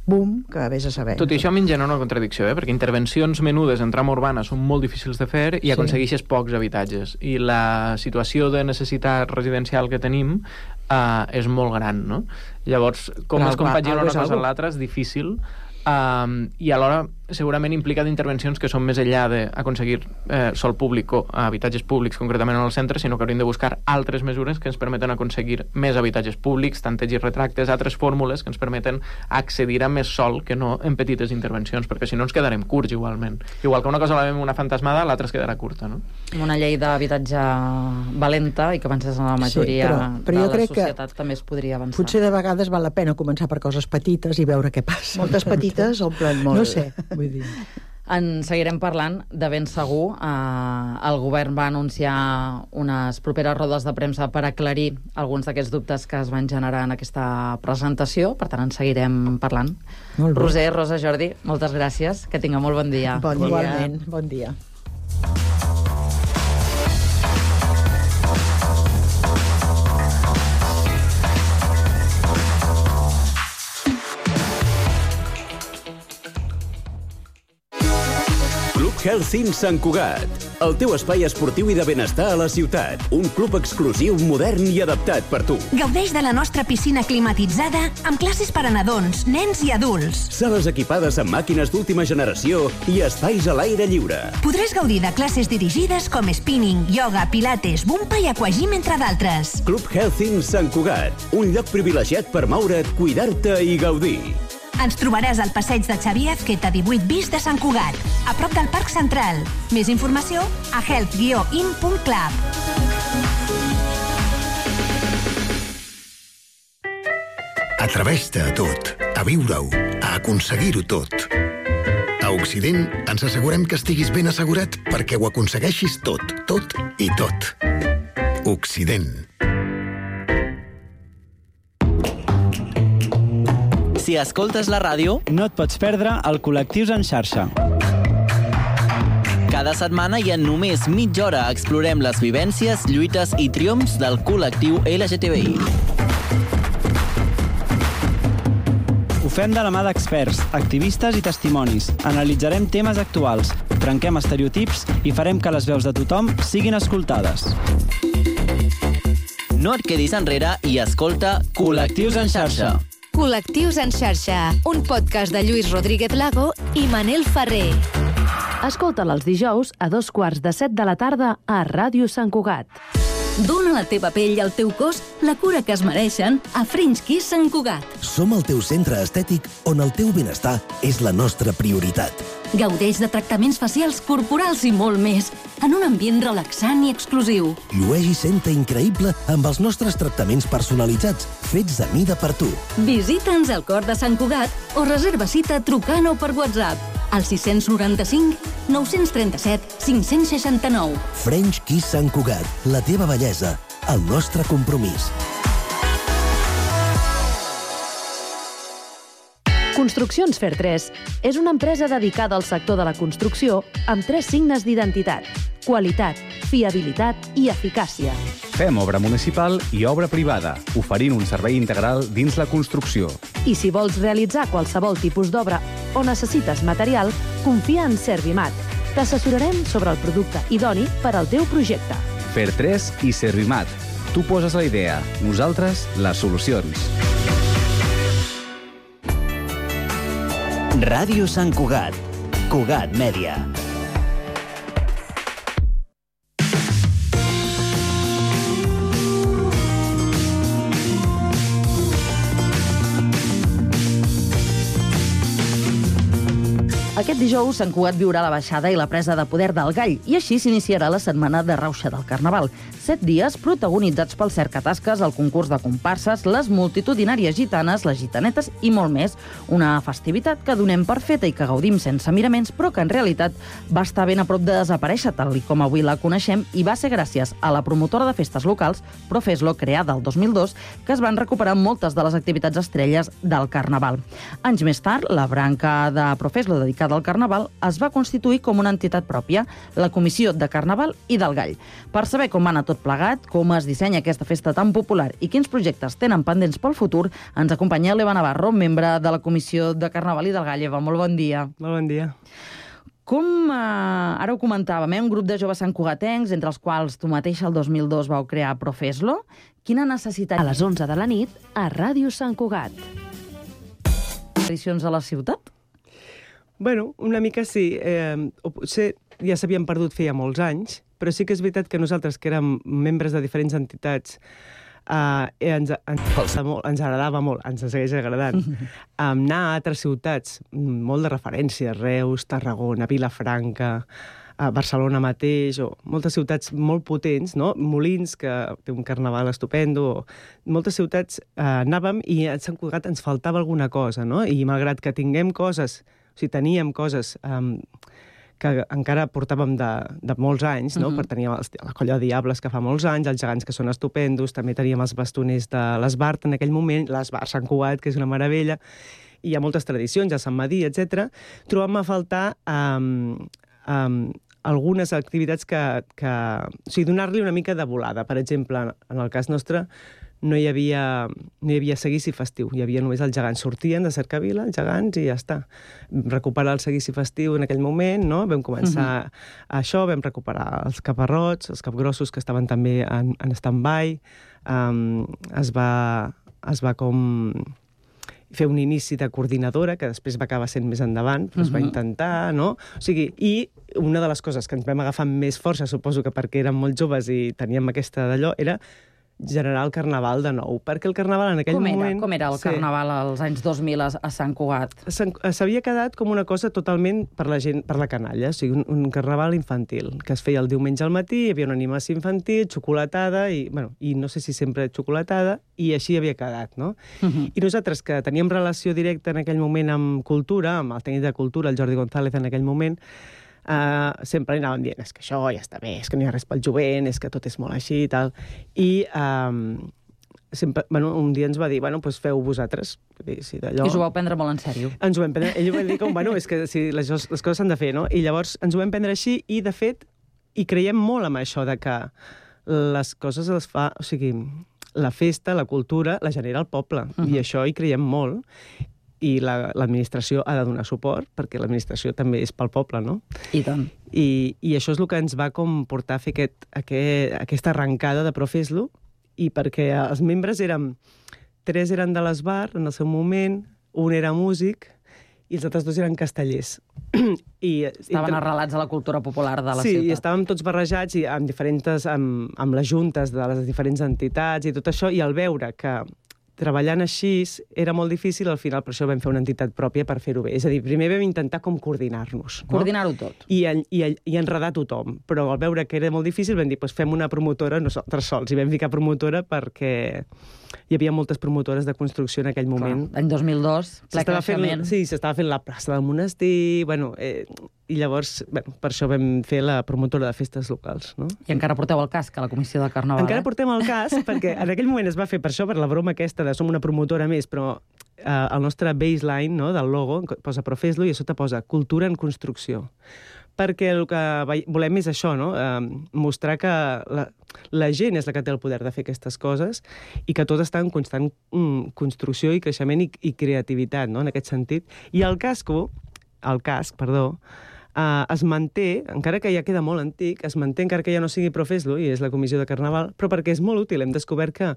boom que vés a saber. Tot i això a mi em genera una contradicció, perquè intervencions menudes en trama urbana són molt difícils de fer i aconsegueixes pocs habitatges. I la situació de necessitat residencial que tenim és molt gran, no? Llavors, com es compagina una cosa amb l'altra és difícil. I alhora segurament implica d'intervencions que són més enllà d'aconseguir sòl públic o habitatges públics concretament en el centre, sinó que hauríem de buscar altres mesures que ens permeten aconseguir més habitatges públics, tanteig i retractes, altres fórmules que ens permeten accedir a més sòl que no en petites intervencions, perquè si no ens quedarem curts igualment. Igual que una cosa la veiem una fantasmada, l'altra es quedarà curta, no? Una llei d'habitatge valenta i que avancés en la majoria de la societat també es podria avançar. Potser de vegades val la pena començar per coses petites i veure què passa. Moltes petites omplen molt. No sé, vull dir. En seguirem parlant de ben segur. El govern va anunciar unes properes rodes de premsa per aclarir alguns d'aquests dubtes que es van generar en aquesta presentació, per tant en seguirem parlant. Roser, Rosa, Jordi, moltes gràcies, que tingueu molt bon dia. Igualment, bon dia. Health Sant Cugat, el teu espai esportiu i de benestar a la ciutat. Un club exclusiu, modern i adaptat per tu. Gaudeix de la nostra piscina climatitzada amb classes per a nadons, nens i adults. Sales equipades amb màquines d'última generació i espais a l'aire lliure. Podràs gaudir de classes dirigides com spinning, yoga, pilates, bumpa i aquagym, entre d'altres. Club Health Sant Cugat, un lloc privilegiat per moure't, cuidar-te i gaudir. Ens trobaràs al passeig de Xavier Azqueta 18 bis de Sant Cugat, a prop del Parc Central. Més informació a health-in.club. Atreveix-te a tot, a viure-ho, a aconseguir-ho tot. A Occident ens assegurem que estiguis ben assegurat perquè ho aconsegueixis tot, tot i tot. Occident. Si escoltes la ràdio, no et pots perdre el Col·lectius en xarxa. Cada setmana i en només mitja hora explorem les vivències, lluites i triomfs del col·lectiu LGTBI. Ho fem de la mà d'experts, activistes i testimonis. Analitzarem temes actuals, trenquem estereotips i farem que les veus de tothom siguin escoltades. No et quedis enrere i escolta Col·lectius en xarxa. Col·lectius en xarxa, un podcast de Lluís Rodríguez Lago i Manel Ferrer. Escolta'l els dijous a 14:45 de la tarda a Ràdio Sant Cugat. Dóna a la teva pell i al teu cos la cura que es mereixen a French Kiss Sant Cugat. Som el teu centre estètic on el teu benestar és la nostra prioritat. Gaudeix de tractaments facials, corporals i molt més, en un ambient relaxant i exclusiu. Llueix i senta increïble amb els nostres tractaments personalitzats, fets a mida per tu. Visita'ns al cor de Sant Cugat o reserva cita trucant o per WhatsApp al 695 937 569. French Kiss Sant Cugat, la teva bellesa, el nostre compromís. Construccions Fer 3 és una empresa dedicada al sector de la construcció amb 3 signes d'identitat: Qualitat, fiabilitat i eficàcia. Fem obra municipal i obra privada, oferint un servei integral dins la construcció. I si vols realitzar qualsevol tipus d'obra o necessites material, confia en Servimat. T'assessorarem sobre el producte idoni per al teu projecte. Fer3 i Servimat. Tu poses la idea, nosaltres les solucions. Ràdio Sant Cugat. Cugat Mèdia. Aquest dijous, Sant Cugat viurà la baixada i la presa de poder del Gall, i així s'iniciarà la setmana de rauxa del Carnaval. 7 dies protagonitzats pel cercatasques, el concurs de comparses, les multitudinàries gitanes, les gitanetes i molt més. Una festivitat que donem per feta i que gaudim sense miraments, però que en realitat va estar ben a prop de desaparèixer, tal com avui la coneixem, i va ser gràcies a la promotora de festes locals, Profeslo, creada el 2002, que es van recuperar moltes de les activitats estrelles del Carnaval. Anys més tard, la branca de Profeslo dedicada al Carnaval es va constituir com una entitat pròpia, la Comissió de Carnaval i del Gall. Per saber com va anar tot plegat, com es dissenya aquesta festa tan popular i quins projectes tenen pendents pel futur, ens acompanya l'Eva Navarro, membre de la Comissió de Carnaval i del Gall. Eva, molt bon dia. Molt bon dia. Com ara ho comentàvem, un grup de joves santcugatencs, entre els quals tu mateixa el 2002 vau crear Profeslo. Quina necessitat... A les 11 de la nit, a Ràdio Sant Cugat. Tradicions a la ciutat? Bueno, una mica sí. Potser ja s'havien perdut feia molts anys, però sí que és veritat que nosaltres, que érem membres de diferents entitats, ens agradava molt, ens segueix agradant, anar a altres ciutats, molt de referència, Reus, Tarragona, Vilafranca, Barcelona mateix, o moltes ciutats molt potents, no? Molins, que té un carnaval estupendo, moltes ciutats anàvem i a Sant Cugat ens faltava alguna cosa, no? I malgrat que tinguem coses, o sigui, teníem coses que encara portàvem de molts anys, no? Per tenir la Colla de Diables, que fa molts anys, els gegants, que són estupendos, també teníem els bastoners de l'Esbart en aquell moment, l'Esbart Sant Cugat, que és una meravella, i hi ha moltes tradicions, a Sant Madí, etc. Trobem a faltar algunes activitats que... O sigui, donar-li una mica de volada. Per exemple, en el cas nostre, no hi havia seguici festiu, hi havia només els gegants. Sortien de Cercavila, els gegants, i ja està. Vam recuperar el seguici festiu en aquell moment, no? Vam començar això, vam recuperar els caparrots, els capgrossos, que estaven també en stand-by. Es va com fer un inici de coordinadora, que després va acabar sent més endavant, però es va intentar, no? O sigui, i una de les coses que ens vam agafar amb més força, suposo que perquè érem molt joves i teníem aquesta d'allò, era generar el Carnaval de nou, perquè el Carnaval en aquell moment... Com era el Carnaval als anys 2000 a Sant Cugat? S'havia quedat com una cosa totalment per la gent, per la canalla, o sigui, un Carnaval infantil, que es feia el diumenge al matí, hi havia una animació infantil, xocolatada, i no sé si sempre xocolatada, i així havia quedat, no? I nosaltres, que teníem relació directa en aquell moment amb cultura, amb el tècnic de cultura, el Jordi González, en aquell moment, sempre anàvem dient, és que això ja està bé, és que no hi ha res pel jovent, és que tot és molt així i tal. I sempre, un dia ens va dir, doncs feu vosaltres. I us ho vau prendre molt en sèrio. Ens ho vam prendre, ell va dir com, és que les coses s'han de fer, no? I llavors ens ho vam prendre així i, de fet, hi creiem molt en això de que les coses les fa, o sigui, la festa, la cultura, la genera el poble, i això hi creiem molt. I l'administració ha de donar suport, perquè l'administració també és pel poble, no? I tant. I això és el que ens va com portar a fer aquesta arrencada de Profeslo, i perquè els membres tres eren de l'Esbart en el seu moment, un era músic, i els altres dos eren castellers. Estaven arrelats a la cultura popular de la ciutat. Sí, i estàvem tots barrejats i amb les juntes de les diferents entitats i tot això, i al veure que treballant així era molt difícil, al final per això vam fer una entitat pròpia per fer-ho bé. És a dir, primer vam intentar com coordinar-nos. Coordinar-ho tot. I enredar tothom. Però al veure que era molt difícil vam dir, fem una promotora nosaltres sols. I vam ficar promotora perquè hi havia moltes promotores de construcció en aquell moment. L'any 2002, ple creixement. Sí, s'estava fent la plaça del monestir, i llavors, per això vam fer la promotora de festes locals, no? I encara porteu el casc a la Comissió de Carnaval, Encara portem el casc, perquè en aquell moment es va fer per això, per la broma aquesta de som una promotora més, però el nostre baseline, no, del logo posa Profeslo i a sota posa cultura en construcció. perquè el que volem és això, no? Mostrar que la gent és la que té el poder de fer aquestes coses i que tot està en constant construcció i creixement i creativitat, no? En aquest sentit. I el casc, es manté, encara que ja queda molt antic, es manté encara que ja no sigui Profeslo, i és la comissió de Carnaval, però perquè és molt útil. Hem descobert que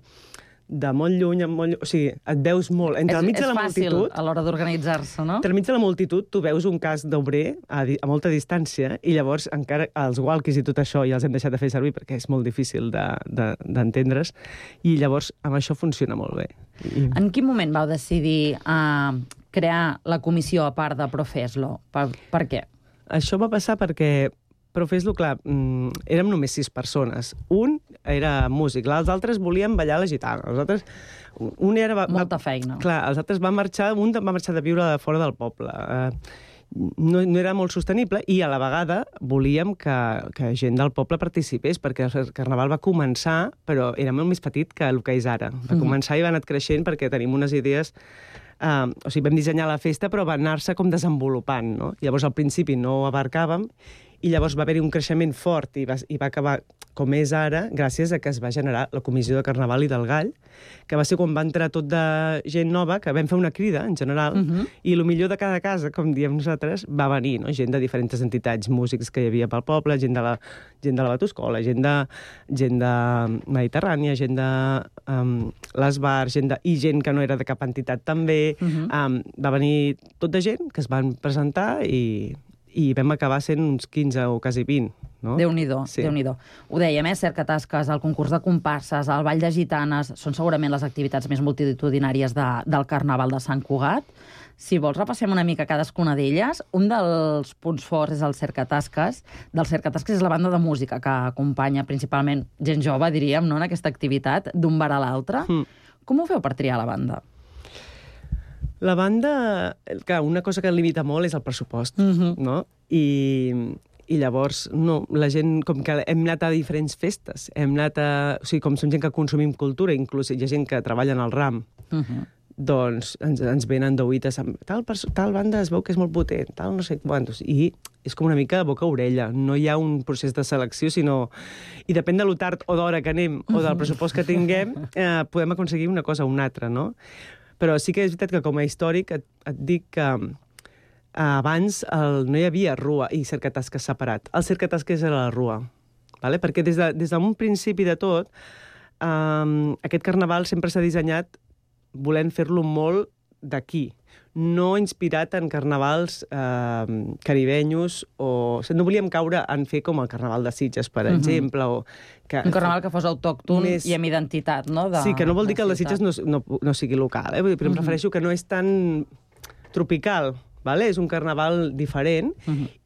de molt lluny, o sigui, et veus molt. És fàcil a l'hora d'organitzar-se, no? Entremig de la multitud, tu veus un casc d'obrer a molta distància i llavors encara els walkies i tot això ja els hem deixat de fer servir perquè és molt difícil d'entendre's i llavors amb això funciona molt bé. En quin moment vau decidir crear la comissió a part de Profeslo? Per què? Això va passar perquè Profeslo, clar, érem només 6 persones. Un era músic, els altres volien ballar la gitana. Els altres... Molta feina. Clar, els altres van marxar, un va marxar de viure fora del poble. No era molt sostenible i a la vegada volíem que gent del poble participés, perquè el Carnaval va començar, però era molt més petit que el que és ara. Va començar i va anar creixent perquè tenim unes idees... o sigui, vam dissenyar la festa, però va anar-se com desenvolupant, no? Llavors, al principi no abarcàvem, i llavors va haver-hi un creixement fort i va acabar com és ara, gràcies a que es va generar la Comissió de Carnaval i del Gall, que va ser quan va entrar tot de gent nova, que vam fer una crida, en general, i el millor de cada casa, com diem nosaltres, va venir, no? Gent de diferents entitats, músics que hi havia pel poble, gent de la Batuscola, gent de Mediterrània, gent de les bars, i gent que no era de cap entitat també. Va venir tot de gent que es van presentar i vam acabar sent uns 15 o quasi 20. No? Déu-n'hi-do, sí. Déu-n'hi-do. Ho dèiem, cercatasques, el concurs de comparses, el ball de gitanes, són segurament les activitats més multitudinàries del Carnaval de Sant Cugat. Si vols, repassem una mica cadascuna d'elles. Un dels punts forts és el cercatasques. Del cercatasques és la banda de música, que acompanya principalment gent jove, diríem, no?, en aquesta activitat, d'un bar a l'altre. Com ho feu per triar la banda? La banda, clar, una cosa que limita molt és el pressupost, no? I llavors, no, la gent, com que hem anat a diferents festes, o sigui, com som gent que consumim cultura, inclús hi ha gent que treballa en el RAM, doncs ens venen d'oïtes amb tal banda es veu que és molt potent, tal no sé quantos, i és com una mica de boca a orella, no hi ha un procés de selecció, sinó... I depèn de lo tard o d'hora que anem o del pressupost que tinguem, podem aconseguir una cosa o una altra, no? Però sí que és veritat que com a històric et dic que abans no hi havia rua i cercatasques separat. El cercatasques era la rua, ¿vale? Perquè des d'un principi de tot, aquest carnaval sempre s'ha dissenyat volent fer-lo molt d'aquí, no inspirat en carnavals caribenyos no volíem caure en fer com el carnaval de Sitges, per exemple, o un carnaval que fos autòcton i amb identitat, no? Sí, que no vol dir que el de Sitges no sigui local, però em refereixo que no és tan tropical, vale? És un carnaval diferent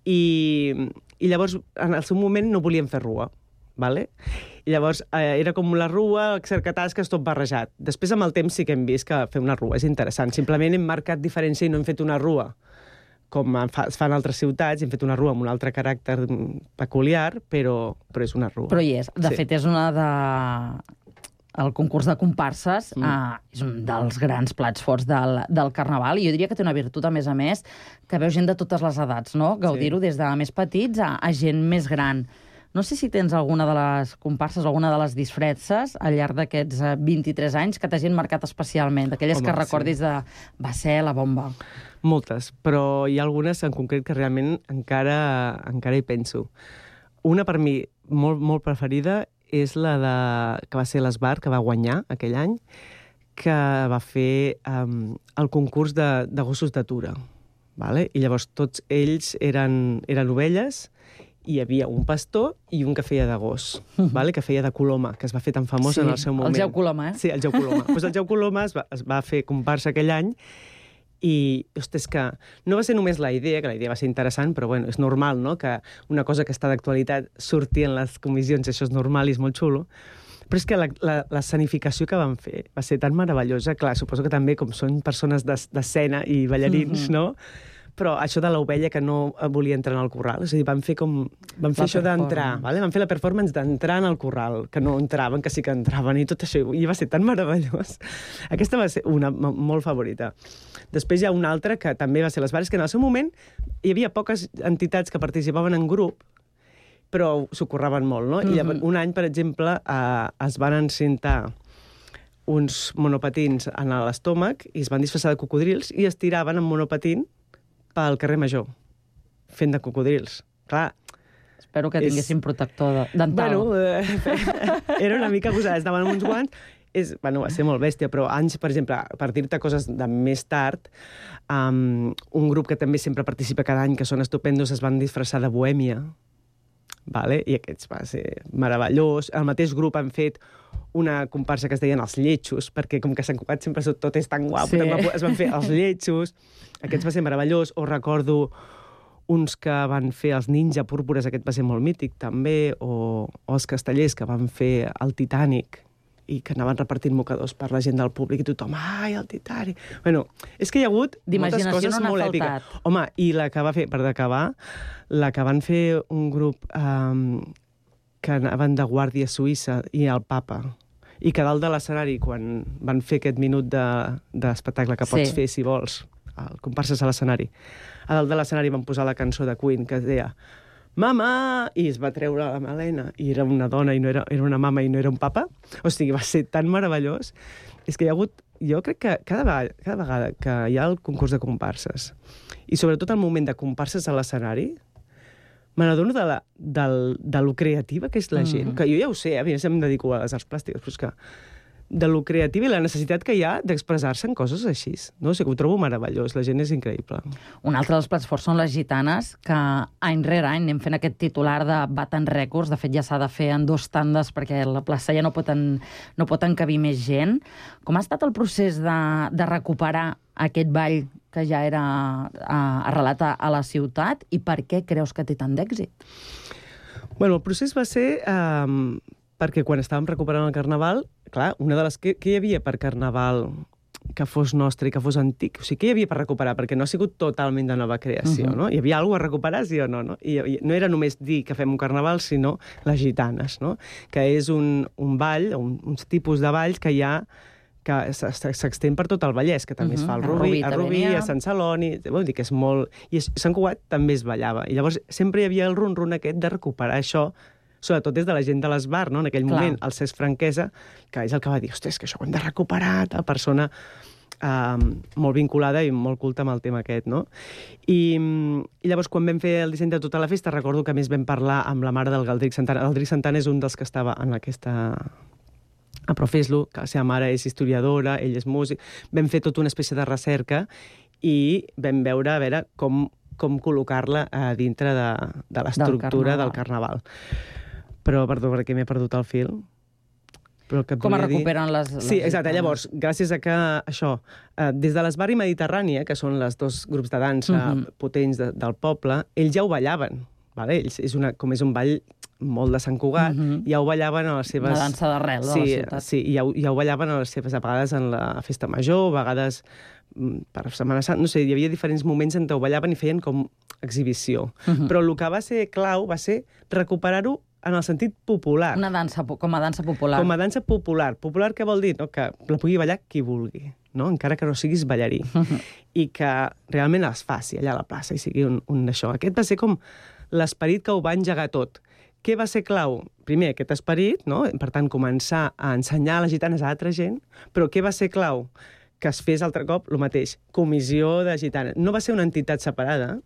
i llavors en el seu moment no volíem fer rua, vale? I llavors era com la rua, cercatasques, tot barrejat. Després, amb el temps, sí que hem vist que fer una rua és interessant. Simplement hem marcat diferència i no hem fet una rua com es fa en altres ciutats, hem fet una rua amb un altre caràcter peculiar, però és una rua. Però hi és. De fet, és una de... El concurs de comparses és un dels grans plats forts del Carnaval, i jo diria que té una virtut, a més, que veu gent de totes les edats, no? Gaudir-ho des de més petits a gent més gran. No sé si tens alguna de les comparses, alguna de les disfresses al llarg d'aquests 23 anys que t'hagin marcat especialment, d'aquelles que recordis de va ser la bomba. Moltes, però hi ha algunes en concret que realment encara hi penso. Una per mi molt, molt preferida és la que va ser l'Esbar, que va guanyar aquell any, que va fer el concurs de gossos d'atura. Vale? I llavors tots ells eren ovelles, i hi havia un pastor i un que feia de gos, vale? Que feia de coloma, que es va fer tan famós en el seu moment. El Jau Coloma, eh? Sí, el Jau Coloma. Pues el Jau Coloma es va fer comparsa aquell any i, ostres, que no va ser només la idea, que la idea va ser interessant, però bueno, és normal, no?, que una cosa que està d'actualitat surti en les comissions, això és normal i és molt xulo, però és que l'escenificació que van fer va ser tan meravellosa. Clar, suposo que també, com són persones d'escena i ballarins, no?, però això de l'ovella que no volia entrar en el corral, és a dir, van fer això d'entrar, vale? Van fer la performance d'entrar en el corral, que no entraven, que sí que entraven, i tot això, i va ser tan meravellós. Aquesta va ser una molt favorita. Després hi ha una altra que també va ser les Vares, que en el seu moment hi havia poques entitats que participaven en grup, però s'ho curraven molt, no? I un any, per exemple, es van encintar uns monopatins en l'estómac i es van disfressar de cocodrils i es tiraven amb monopatín pel carrer Major, fent de cocodrils. Clar, espero que tinguessin protector dental. Bueno, era una mica gosada, estaven amb uns guants. Va ser molt bèstia, però anys, per exemple, per dir-te coses de més tard, un grup que també sempre participa cada any, que són estupendos, es van disfressar de Bohèmia, vale? I aquests va ser meravellós. El mateix grup han fet una comparsa que es deien Els Lletjos, perquè com que Sant Cugat sempre tot és tan guapo, es van fer Els Lletjos, aquests va ser meravellós. O recordo uns que van fer els Ninja Púrpures, aquest va ser molt mític també, o els Castellers, que van fer el Titanic, i que anaven repartint mocadors per la gent del públic, i tothom, ai, el Titanic... Bueno, és que hi ha hagut moltes coses molt èpiques. Home, i la que va fer, per acabar, la que van fer un grup que anaven de Guàrdia Suïssa i el Papa, i que dalt de l'escenari, quan van fer aquest minut d'espectacle que pots fer, si vols, comparses a l'escenari, a dalt de l'escenari van posar la cançó de Queen, que es deia «Mama!» i es va treure la melena, i era una dona, i no era una mama i no era un papa. O sigui, va ser tan meravellós. És que hi ha hagut... Jo crec que cada vegada que hi ha el concurs de comparses, i sobretot el moment de comparses a l'escenari, me n'adono de lo creativa que és la gent, que jo ja ho sé, a mi em dedico a les arts plàstiques, però és que de lo creativa i la necessitat que hi ha d'expressar-se en coses així. No? O sigui, ho trobo meravellós, la gent és increïble. Un altre dels plats forts són les gitanes, que any rere any anem fent aquest titular de baten rècords. De fet, ja s'ha de fer en 2 tandes perquè la plaça ja no pot encabir més gent. Com ha estat el procés de recuperar aquest ball que ja era arrelat a la ciutat, i per què creus que té tant d'èxit? Bueno, el procés va ser perquè quan estàvem recuperant el Carnaval, clar, una de les que hi havia per Carnaval que fos nostre i que fos antic, o sigui, què hi havia per recuperar? Perquè no ha sigut totalment de nova creació, no? Hi havia alguna cosa a recuperar, sí o no? I no era només dir que fem un Carnaval, sinó les gitanes, no? Que és un ball, uns tipus de balls que hi ha que s'extén per tot el Vallès, que també es fa al Rubí, a Sant Celoni, vull dir que és molt... I a Sant Cugat també es ballava. I llavors sempre hi havia el run-run aquest de recuperar això, sobretot des de la gent de l'Esbar, no? En aquell moment, el Cesc Franquesa, que és el que va dir, ostres, que això ho hem de recuperar, tal persona molt vinculada i molt culta amb el tema aquest, no? I llavors, quan vam fer el disseny de tota la festa, recordo que a més vam parlar amb la mare del Galdric Santana. El Galdric Santana és un dels que estava en aquesta... a Profeslo, que la seva mare és historiadora, ell és músic. Vam fer tota una espècie de recerca i vam veure, a veure, com col·locar-la dintre de l'estructura del Carnaval. Però, perdó, perquè m'he perdut el fil. Com es recuperen les... Sí, exacte. Llavors, gràcies a que això, des de l'Esbar i Mediterrània, que són els 2 grups de dansa potents del poble, ells ja ho ballaven. Ells és un ball molt de Sant Cugat, ja ho ballaven a les seves... Una dansa d'arrel de la ciutat. Sí, ja ho ballaven a les seves, a vegades en la festa major, a vegades per Setmana Santa, no sé, hi havia diferents moments en què ho ballaven i feien com exhibició. Però el que va ser clau va ser recuperar-ho en el sentit popular. Com a dansa popular. Com a dansa popular. Popular què vol dir? No? Que la pugui ballar qui vulgui, no? Encara que no siguis ballarí. I que realment es faci allà a la plaça i sigui un d'això. Aquest va ser com l'esperit que ho va engegar tot. Què va ser clau? Primer, aquest esperit, no? Per tant, començar a ensenyar les gitanes a altra gent, però què va ser clau? Que es fes altre cop el mateix, comissió de gitanes. No va ser una entitat separada,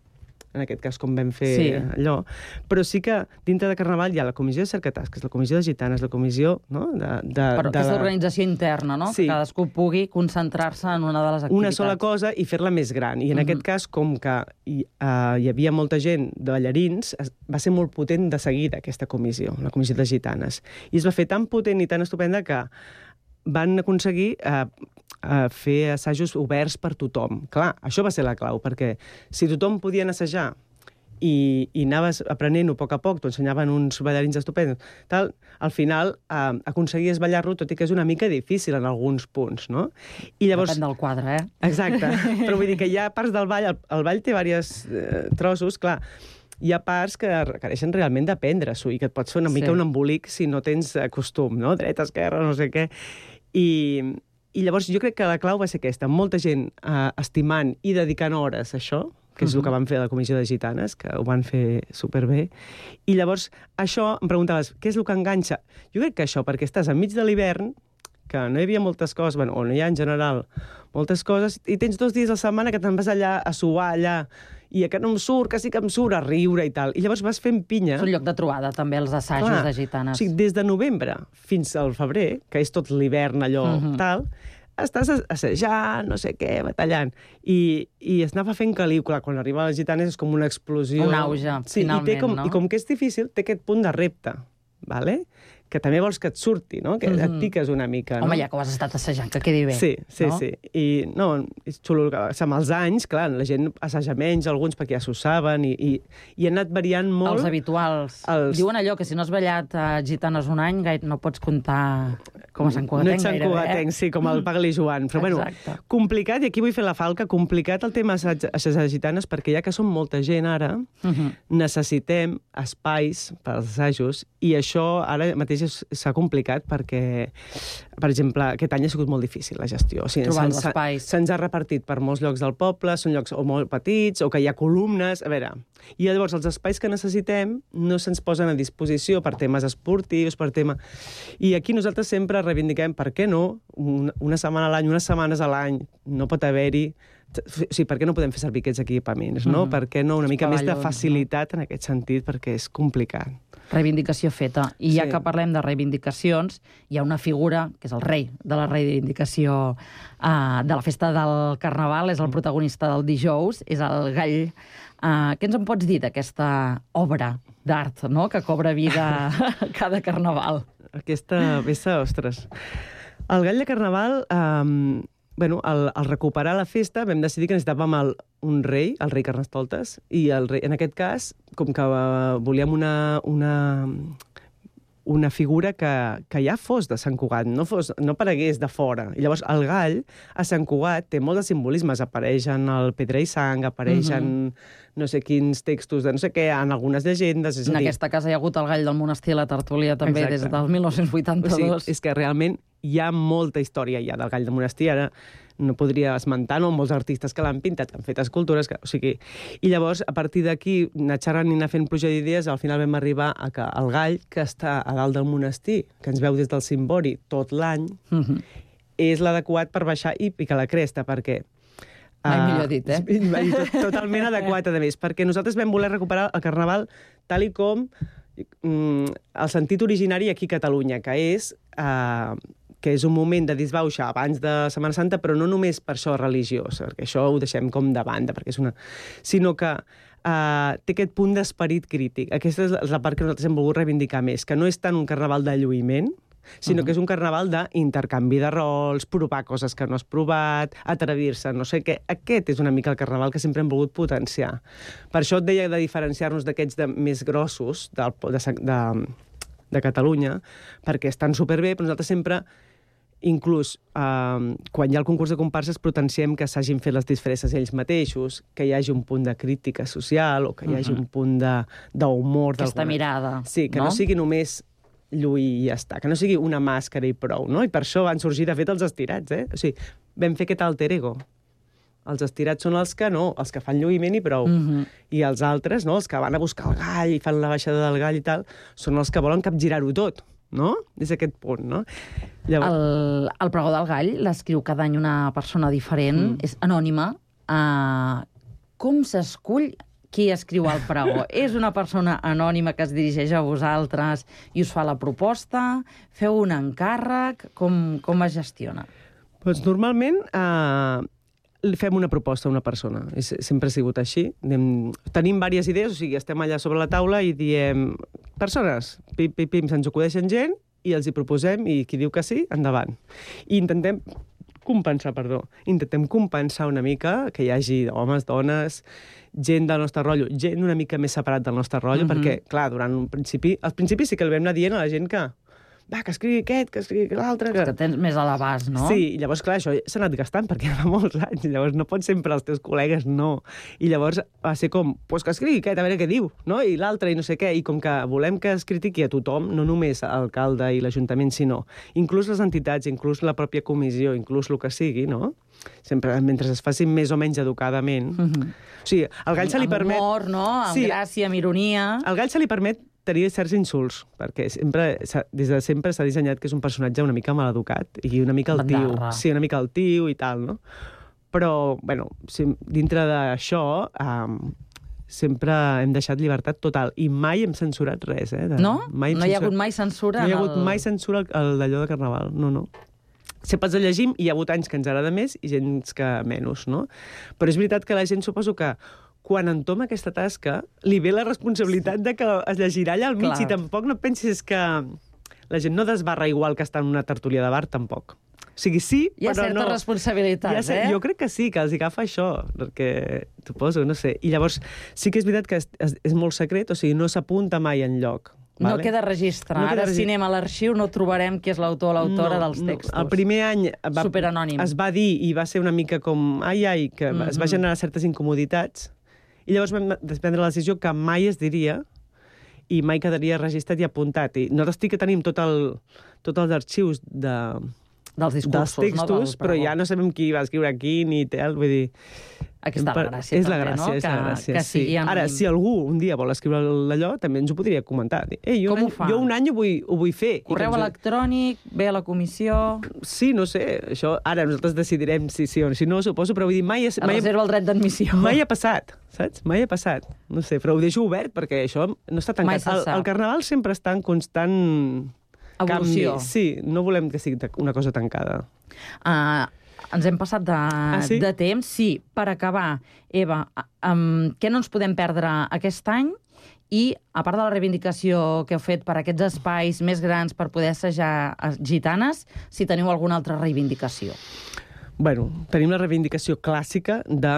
en aquest cas com vam fer allò, però sí que dintre de Carnaval hi ha la comissió de cercatasques, la comissió de gitanes, la comissió... No? Però aquesta organització interna, no? Sí. Que cadascú pugui concentrar-se en una de les activitats. Una sola cosa i fer-la més gran. I en aquest cas, com que hi havia molta gent de ballarins, va ser molt potent de seguida aquesta comissió, la comissió de gitanes. I es va fer tan potent i tan estupenda que van aconseguir fer assajos oberts per tothom. Clar, això va ser la clau, perquè si tothom podia assajar i anaves aprenent-ho a poc, t'ho ensenyaven uns ballarins estupendos, tal, al final aconseguies ballar-lo, tot i que és una mica difícil en alguns punts, no? I llavors... Depèn del quadre, Exacte, però vull dir que hi ha parts del ball, el ball té diversos trossos, clar, hi ha parts que requereixen realment d'aprendre-s'ho i que et pots fer una mica un embolic si no tens costum, no? Dreta, esquerra, no sé què. I llavors jo crec que la clau va ser aquesta, molta gent estimant i dedicant hores a això, que és el que van fer a la Comissió de Gitanes, que ho van fer superbé. I llavors, això, em preguntaves, què és el que enganxa? Jo crec que això, perquè estàs enmig de l'hivern, que no hi havia moltes coses, bueno, o no hi ha en general moltes coses, i tens 2 dies a la setmana que te'n vas allà a suar allà, i que no em surt, que sí que em surt, a riure i tal. I llavors vas fent pinya. És un lloc de trobada, també, els assajos de gitanes. O sigui, des de novembre fins al febrer, que és tot l'hivern allò tal, estàs assajant, no sé què, batallant. I es anava fent caliu. Clar, quan arriba a les gitanes és com una explosió. Un auge, finalment, no? I com que és difícil, té aquest punt de repte, ¿vale? Que també vols que et surti, no? Que et piques una mica, no? Home, ja que ho has estat assajant, que quedi bé. Sí. I no, és xulo. Amb els anys, clar, la gent assaja menys, alguns perquè ja s'ho saben, i ha anat variant molt... Els habituals. Diuen allò, que si no has ballat a gitanes un any, no pots comptar com a Sant Cugatenc. No ets Sant Cugatenc, sí, com el Pagli Joan. Però bueno, complicat, i aquí vull fer la falca, complicat el tema assajar gitanes, perquè ja que som molta gent ara, necessitem espais per als assajos, i això ara mateix s'ha complicat perquè, per exemple, aquest any ha sigut molt difícil la gestió. O sigui, trobar els espais. Se'ns ha repartit per molts llocs del poble, són llocs o molt petits, o que hi ha columnes, a veure... I llavors els espais que necessitem no se'ns posen a disposició per temes esportius, per tema... I aquí nosaltres sempre reivindiquem, per què no, una setmana a l'any, unes setmanes a l'any, no pot haver-hi... O sigui, per què no podem fer servir aquests equipaments, no? Per què no una mica més de facilitat en aquest sentit, perquè és complicat. Reivindicació feta. I ja que parlem de reivindicacions, hi ha una figura, que és el rei de la reivindicació de la festa del Carnaval, és el protagonista del dijous, és el Gall. Què ens en pots dir d'aquesta obra d'art, no?, que cobra vida cada Carnaval? Aquesta peça, ostres. El Gall de Carnaval... Bueno, al recuperar la festa vam decidir que necessitàvem un rei, el rei Carnestoltes, i el rei, en aquest cas, com que volíem una figura que ja fos de Sant Cugat, no aparegués de fora. I llavors el Gall a Sant Cugat té molt de simbolismes, apareix en el Pedra i Sang, apareix en no sé quins textos de no sé què, en algunes llegendes... En aquesta casa hi ha hagut el Gall del Monestir a la Tertúlia també des del 1982. O sigui, és que realment hi ha molta història ja del Gall del Monestir, ara no podria esmentar, no? Molts artistes que l'han pintat, que han fet escultures, o sigui... I llavors, a partir d'aquí, anar xerrant i anar fent pluja d'idees, al final vam arribar a que el Gall, que està a dalt del monestir, que ens veu des del cimbori tot l'any, és l'adequat per baixar i picar la cresta, perquè... Mai millor dit, Totalment adequat, a més, perquè nosaltres vam voler recuperar el Carnaval tal i com el sentit originari aquí a Catalunya, que és un moment de disbauxa abans de Setmana Santa, però no només per això religiós, perquè això ho deixem com de banda, perquè és sinó que té aquest punt d'esperit crític. Aquesta és la part que nosaltres hem volgut reivindicar més, que no és tant un carnaval de lluïment, sinó que és un carnaval d'intercanvi de rols, provar coses que no has provat, atrevir-se, no sé què. Aquest és una mica el carnaval que sempre hem volgut potenciar. Per això et deia de diferenciar-nos d'aquests més grossos de Catalunya, perquè estan superbé, però nosaltres sempre, inclús quan hi ha el concurs de comparses, potenciem que s'hagin fet les disfresses ells mateixos, que hi hagi un punt de crítica social o que hi hagi un punt d'humor. Aquesta mirada. Sí, que no sigui només lluir i ja està, que no sigui una màscara i prou, no? I per això van sorgir, de fet, els estirats, O sigui, vam fer aquest alter ego. Els estirats són els que fan lluïment i prou. I els altres, no? Els que van a buscar el gall i fan la baixada del gall i tal, són els que volen capgirar-ho tot, no? És aquest punt, no? Llavors... El pregó del gall l'escriu cada any una persona diferent, és anònima. Com s'escull qui escriu el pregó? És una persona anònima que es dirigeix a vosaltres i us fa la proposta? Feu un encàrrec? Com es gestiona? Doncs normalment fem una proposta a una persona. Sempre ha sigut així. Tenim diverses idees, o sigui, estem allà sobre la taula i diem, persones, pim, se'ns acudeixen gent i els hi proposem i qui diu que sí, endavant. I intentem intentem compensar una mica que hi hagi homes, dones, gent del nostre rotllo, gent una mica més separat del nostre rotllo, perquè, clar, durant un principi... Al principi sí que el vam anar dient a la gent que que escrigui aquest, que escrigui l'altre... Que tens més a l'abast, no? Sí, i llavors, clar, això s'ha anat gastant perquè fa molts anys, llavors no pots sempre els teus col·legues, no. I llavors va ser com, pues que escrigui aquest, a veure què diu, no? I l'altre, i no sé què, i com que volem que es critiqui a tothom, no només l'alcalde i l'Ajuntament, sinó inclús les entitats, inclús la pròpia comissió, inclús el que sigui, no? Sempre, mentre es faci més o menys educadament. O sigui, al gall se li permet... Amb humor, no? Amb gràcia, amb ironia... Al gall se li permet tenir certs insults, perquè des de sempre s'ha dissenyat que és un personatge una mica maleducat i una mica altiu. Sí, una mica altiu i tal, no? Però, bueno, dintre d'això sempre hem deixat llibertat total i mai hem censurat res, No? No hi ha hagut mai censura? No hi ha hagut mai censura d'allò de Carnaval, no. Sempre els llegim i hi ha hagut anys que ens agrada més i gens que menys, no? Però és veritat que la gent, suposo que quan entoma aquesta tasca, li ve la responsabilitat de que es llegirà allà al mig. I tampoc no pensis que la gent no desbarra igual que està en una tertúlia de bar, tampoc. O sigui, sí, però no... Hi ha certa responsabilitat, Jo crec que sí, que els agafa això, perquè, suposo, no sé. I llavors, sí que és veritat que és molt secret, o sigui, no s'apunta mai enlloc. No queda registre. Ara, si anem a l'arxiu, no trobarem qui és l'autor o l'autora dels textos. El primer any superanònim. Es va dir, i va ser una mica com ai, que es va generar certes incomoditats, i llavors vam prendre la decisió que mai es diria i mai quedaria registrat i apuntat. I nosaltres tenim tots els arxius dels discursos, dels textos, però ja no sabem qui va escriure qui ni tal, vull dir... Aquí està la gràcia, és la gràcia, no? És la gràcia, sí. Anònim. Ara, si algú un dia vol escriure d'allò, també ens ho podria comentar. Com ho fa? Jo un any ho vull fer. Correu electrònic, ve a la comissió... Sí, no sé, això ara nosaltres decidirem si sí o si no, suposo, però vull dir, mai... Reserva el dret d'admissió. Mai ha passat, saps? Mai ha passat. No sé, però ho deixo obert perquè això no està tancat. Mai se sap. El Carnaval sempre està en constant... evolució. Canvi. Sí, no volem que sigui una cosa tancada. Ens hem passat de temps. Sí, per acabar, Eva, què no ens podem perdre aquest any? I, a part de la reivindicació que heu fet per aquests espais més grans per poder assajar gitanes, si teniu alguna altra reivindicació. Bueno, tenim la reivindicació clàssica de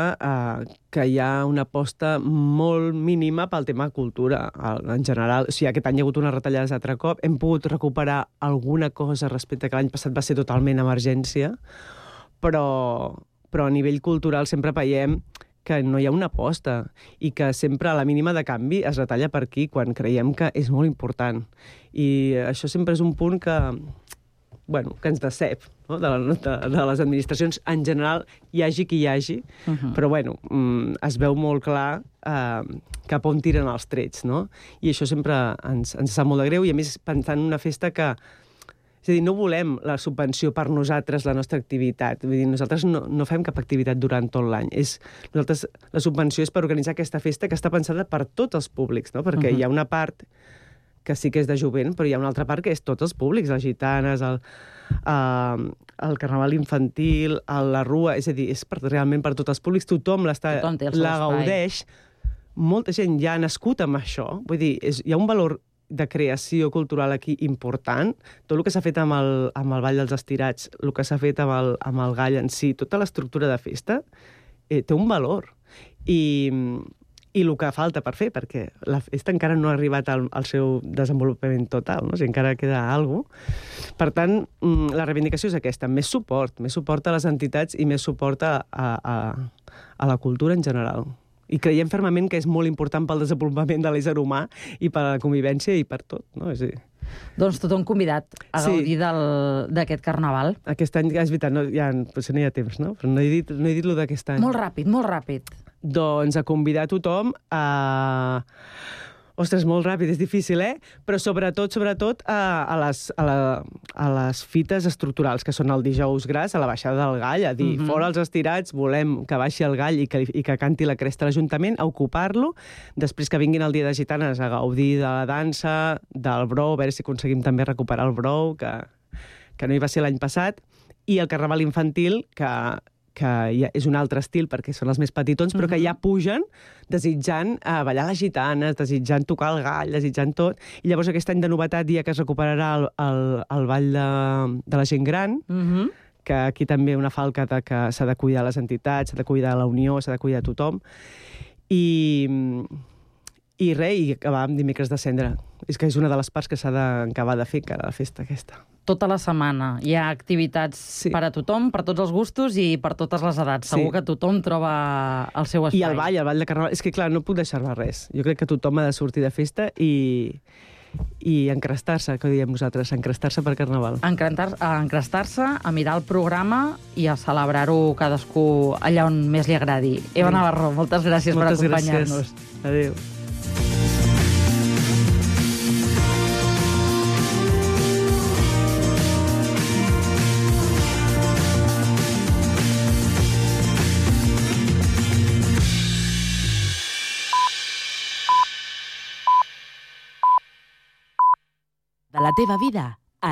que hi ha una aposta molt mínima pel tema cultura en general. O sigui, aquest any hi ha hagut unes retallades altre cop. Hem pogut recuperar alguna cosa respecte que l'any passat va ser totalment emergència, però a nivell cultural sempre veiem que no hi ha una aposta i que sempre a la mínima de canvi es retalla per aquí quan creiem que és molt important. I això sempre és un punt que ens decep, no? de les administracions en general, hi hagi qui hi hagi, però es veu molt clar cap on tiren els trets, no? I això sempre ens sap molt de greu, i a més pensant en una festa que... És a dir, no volem la subvenció per nosaltres, la nostra activitat. Vull dir, nosaltres no fem cap activitat durant tot l'any. La subvenció és per organitzar aquesta festa que està pensada per tots els públics, no? Perquè hi ha una part que sí que és de jovent, però hi ha una altra part que és tots els públics, les gitanes, el carnaval infantil, la rua, és a dir, és realment per tots els públics, tothom la gaudeix. Molta gent ja ha nascut amb això, vull dir, hi ha un valor de creació cultural aquí important. Tot el que s'ha fet amb el Ball dels Estirats, el que s'ha fet amb el gall en si, tota l'estructura de festa, té un valor. I el que falta per fer, perquè la festa encara no ha arribat al seu desenvolupament total, no? O sigui, encara queda alguna cosa. Per tant, la reivindicació és aquesta, més suport a les entitats i més suport a la cultura en general. I creiem fermament que és molt important pel desenvolupament de l'ésser humà i per la convivència i per tot, no? És a dir... Doncs tothom convidat a gaudir d'aquest carnaval. Aquest any, és veritat, potser no hi ha temps, no? Però no he dit lo d'aquest any. Molt ràpid. Doncs a convidar tothom a... Ostres, molt ràpid, és difícil, Però sobretot a les fites estructurals, que són el dijous gras, a la baixada del gall, a dir, fora els estirats, volem que baixi el gall i que canti la cresta a l'Ajuntament, a ocupar-lo, després que vinguin el dia de gitanes a gaudir de la dansa, del brou, a veure si aconseguim també recuperar el brou, que no hi va ser l'any passat, i el carnaval infantil, que ja és un altre estil perquè són els més petitons, però que ja pugen desitjant ballar les gitanes, desitjant tocar el gall, desitjant tot. I llavors aquest any de novetat, dia que es recuperarà el ball de la gent gran, que aquí també una falca que s'ha de cuidar les entitats, s'ha de cuidar la unió, s'ha de cuidar tothom. I acabar amb dimecres de cendra. És que és una de les parts que s'ha d'acabar de fer encara, la festa aquesta. Tota la setmana hi ha activitats per a tothom, per tots els gustos i per totes les edats. Segur que tothom troba el seu espai. I el ball de Carnaval. És que, clar, no puc deixar-me res. Jo crec que tothom ha de sortir de festa i encrestar-se, que diem nosaltres, encrestar-se per Carnaval. Encrestar-se, a mirar el programa i a celebrar-ho cadascú allà on més li agradi. Eva Navarro, moltes gràcies per acompanyar-nos. Adéu. De la teva vida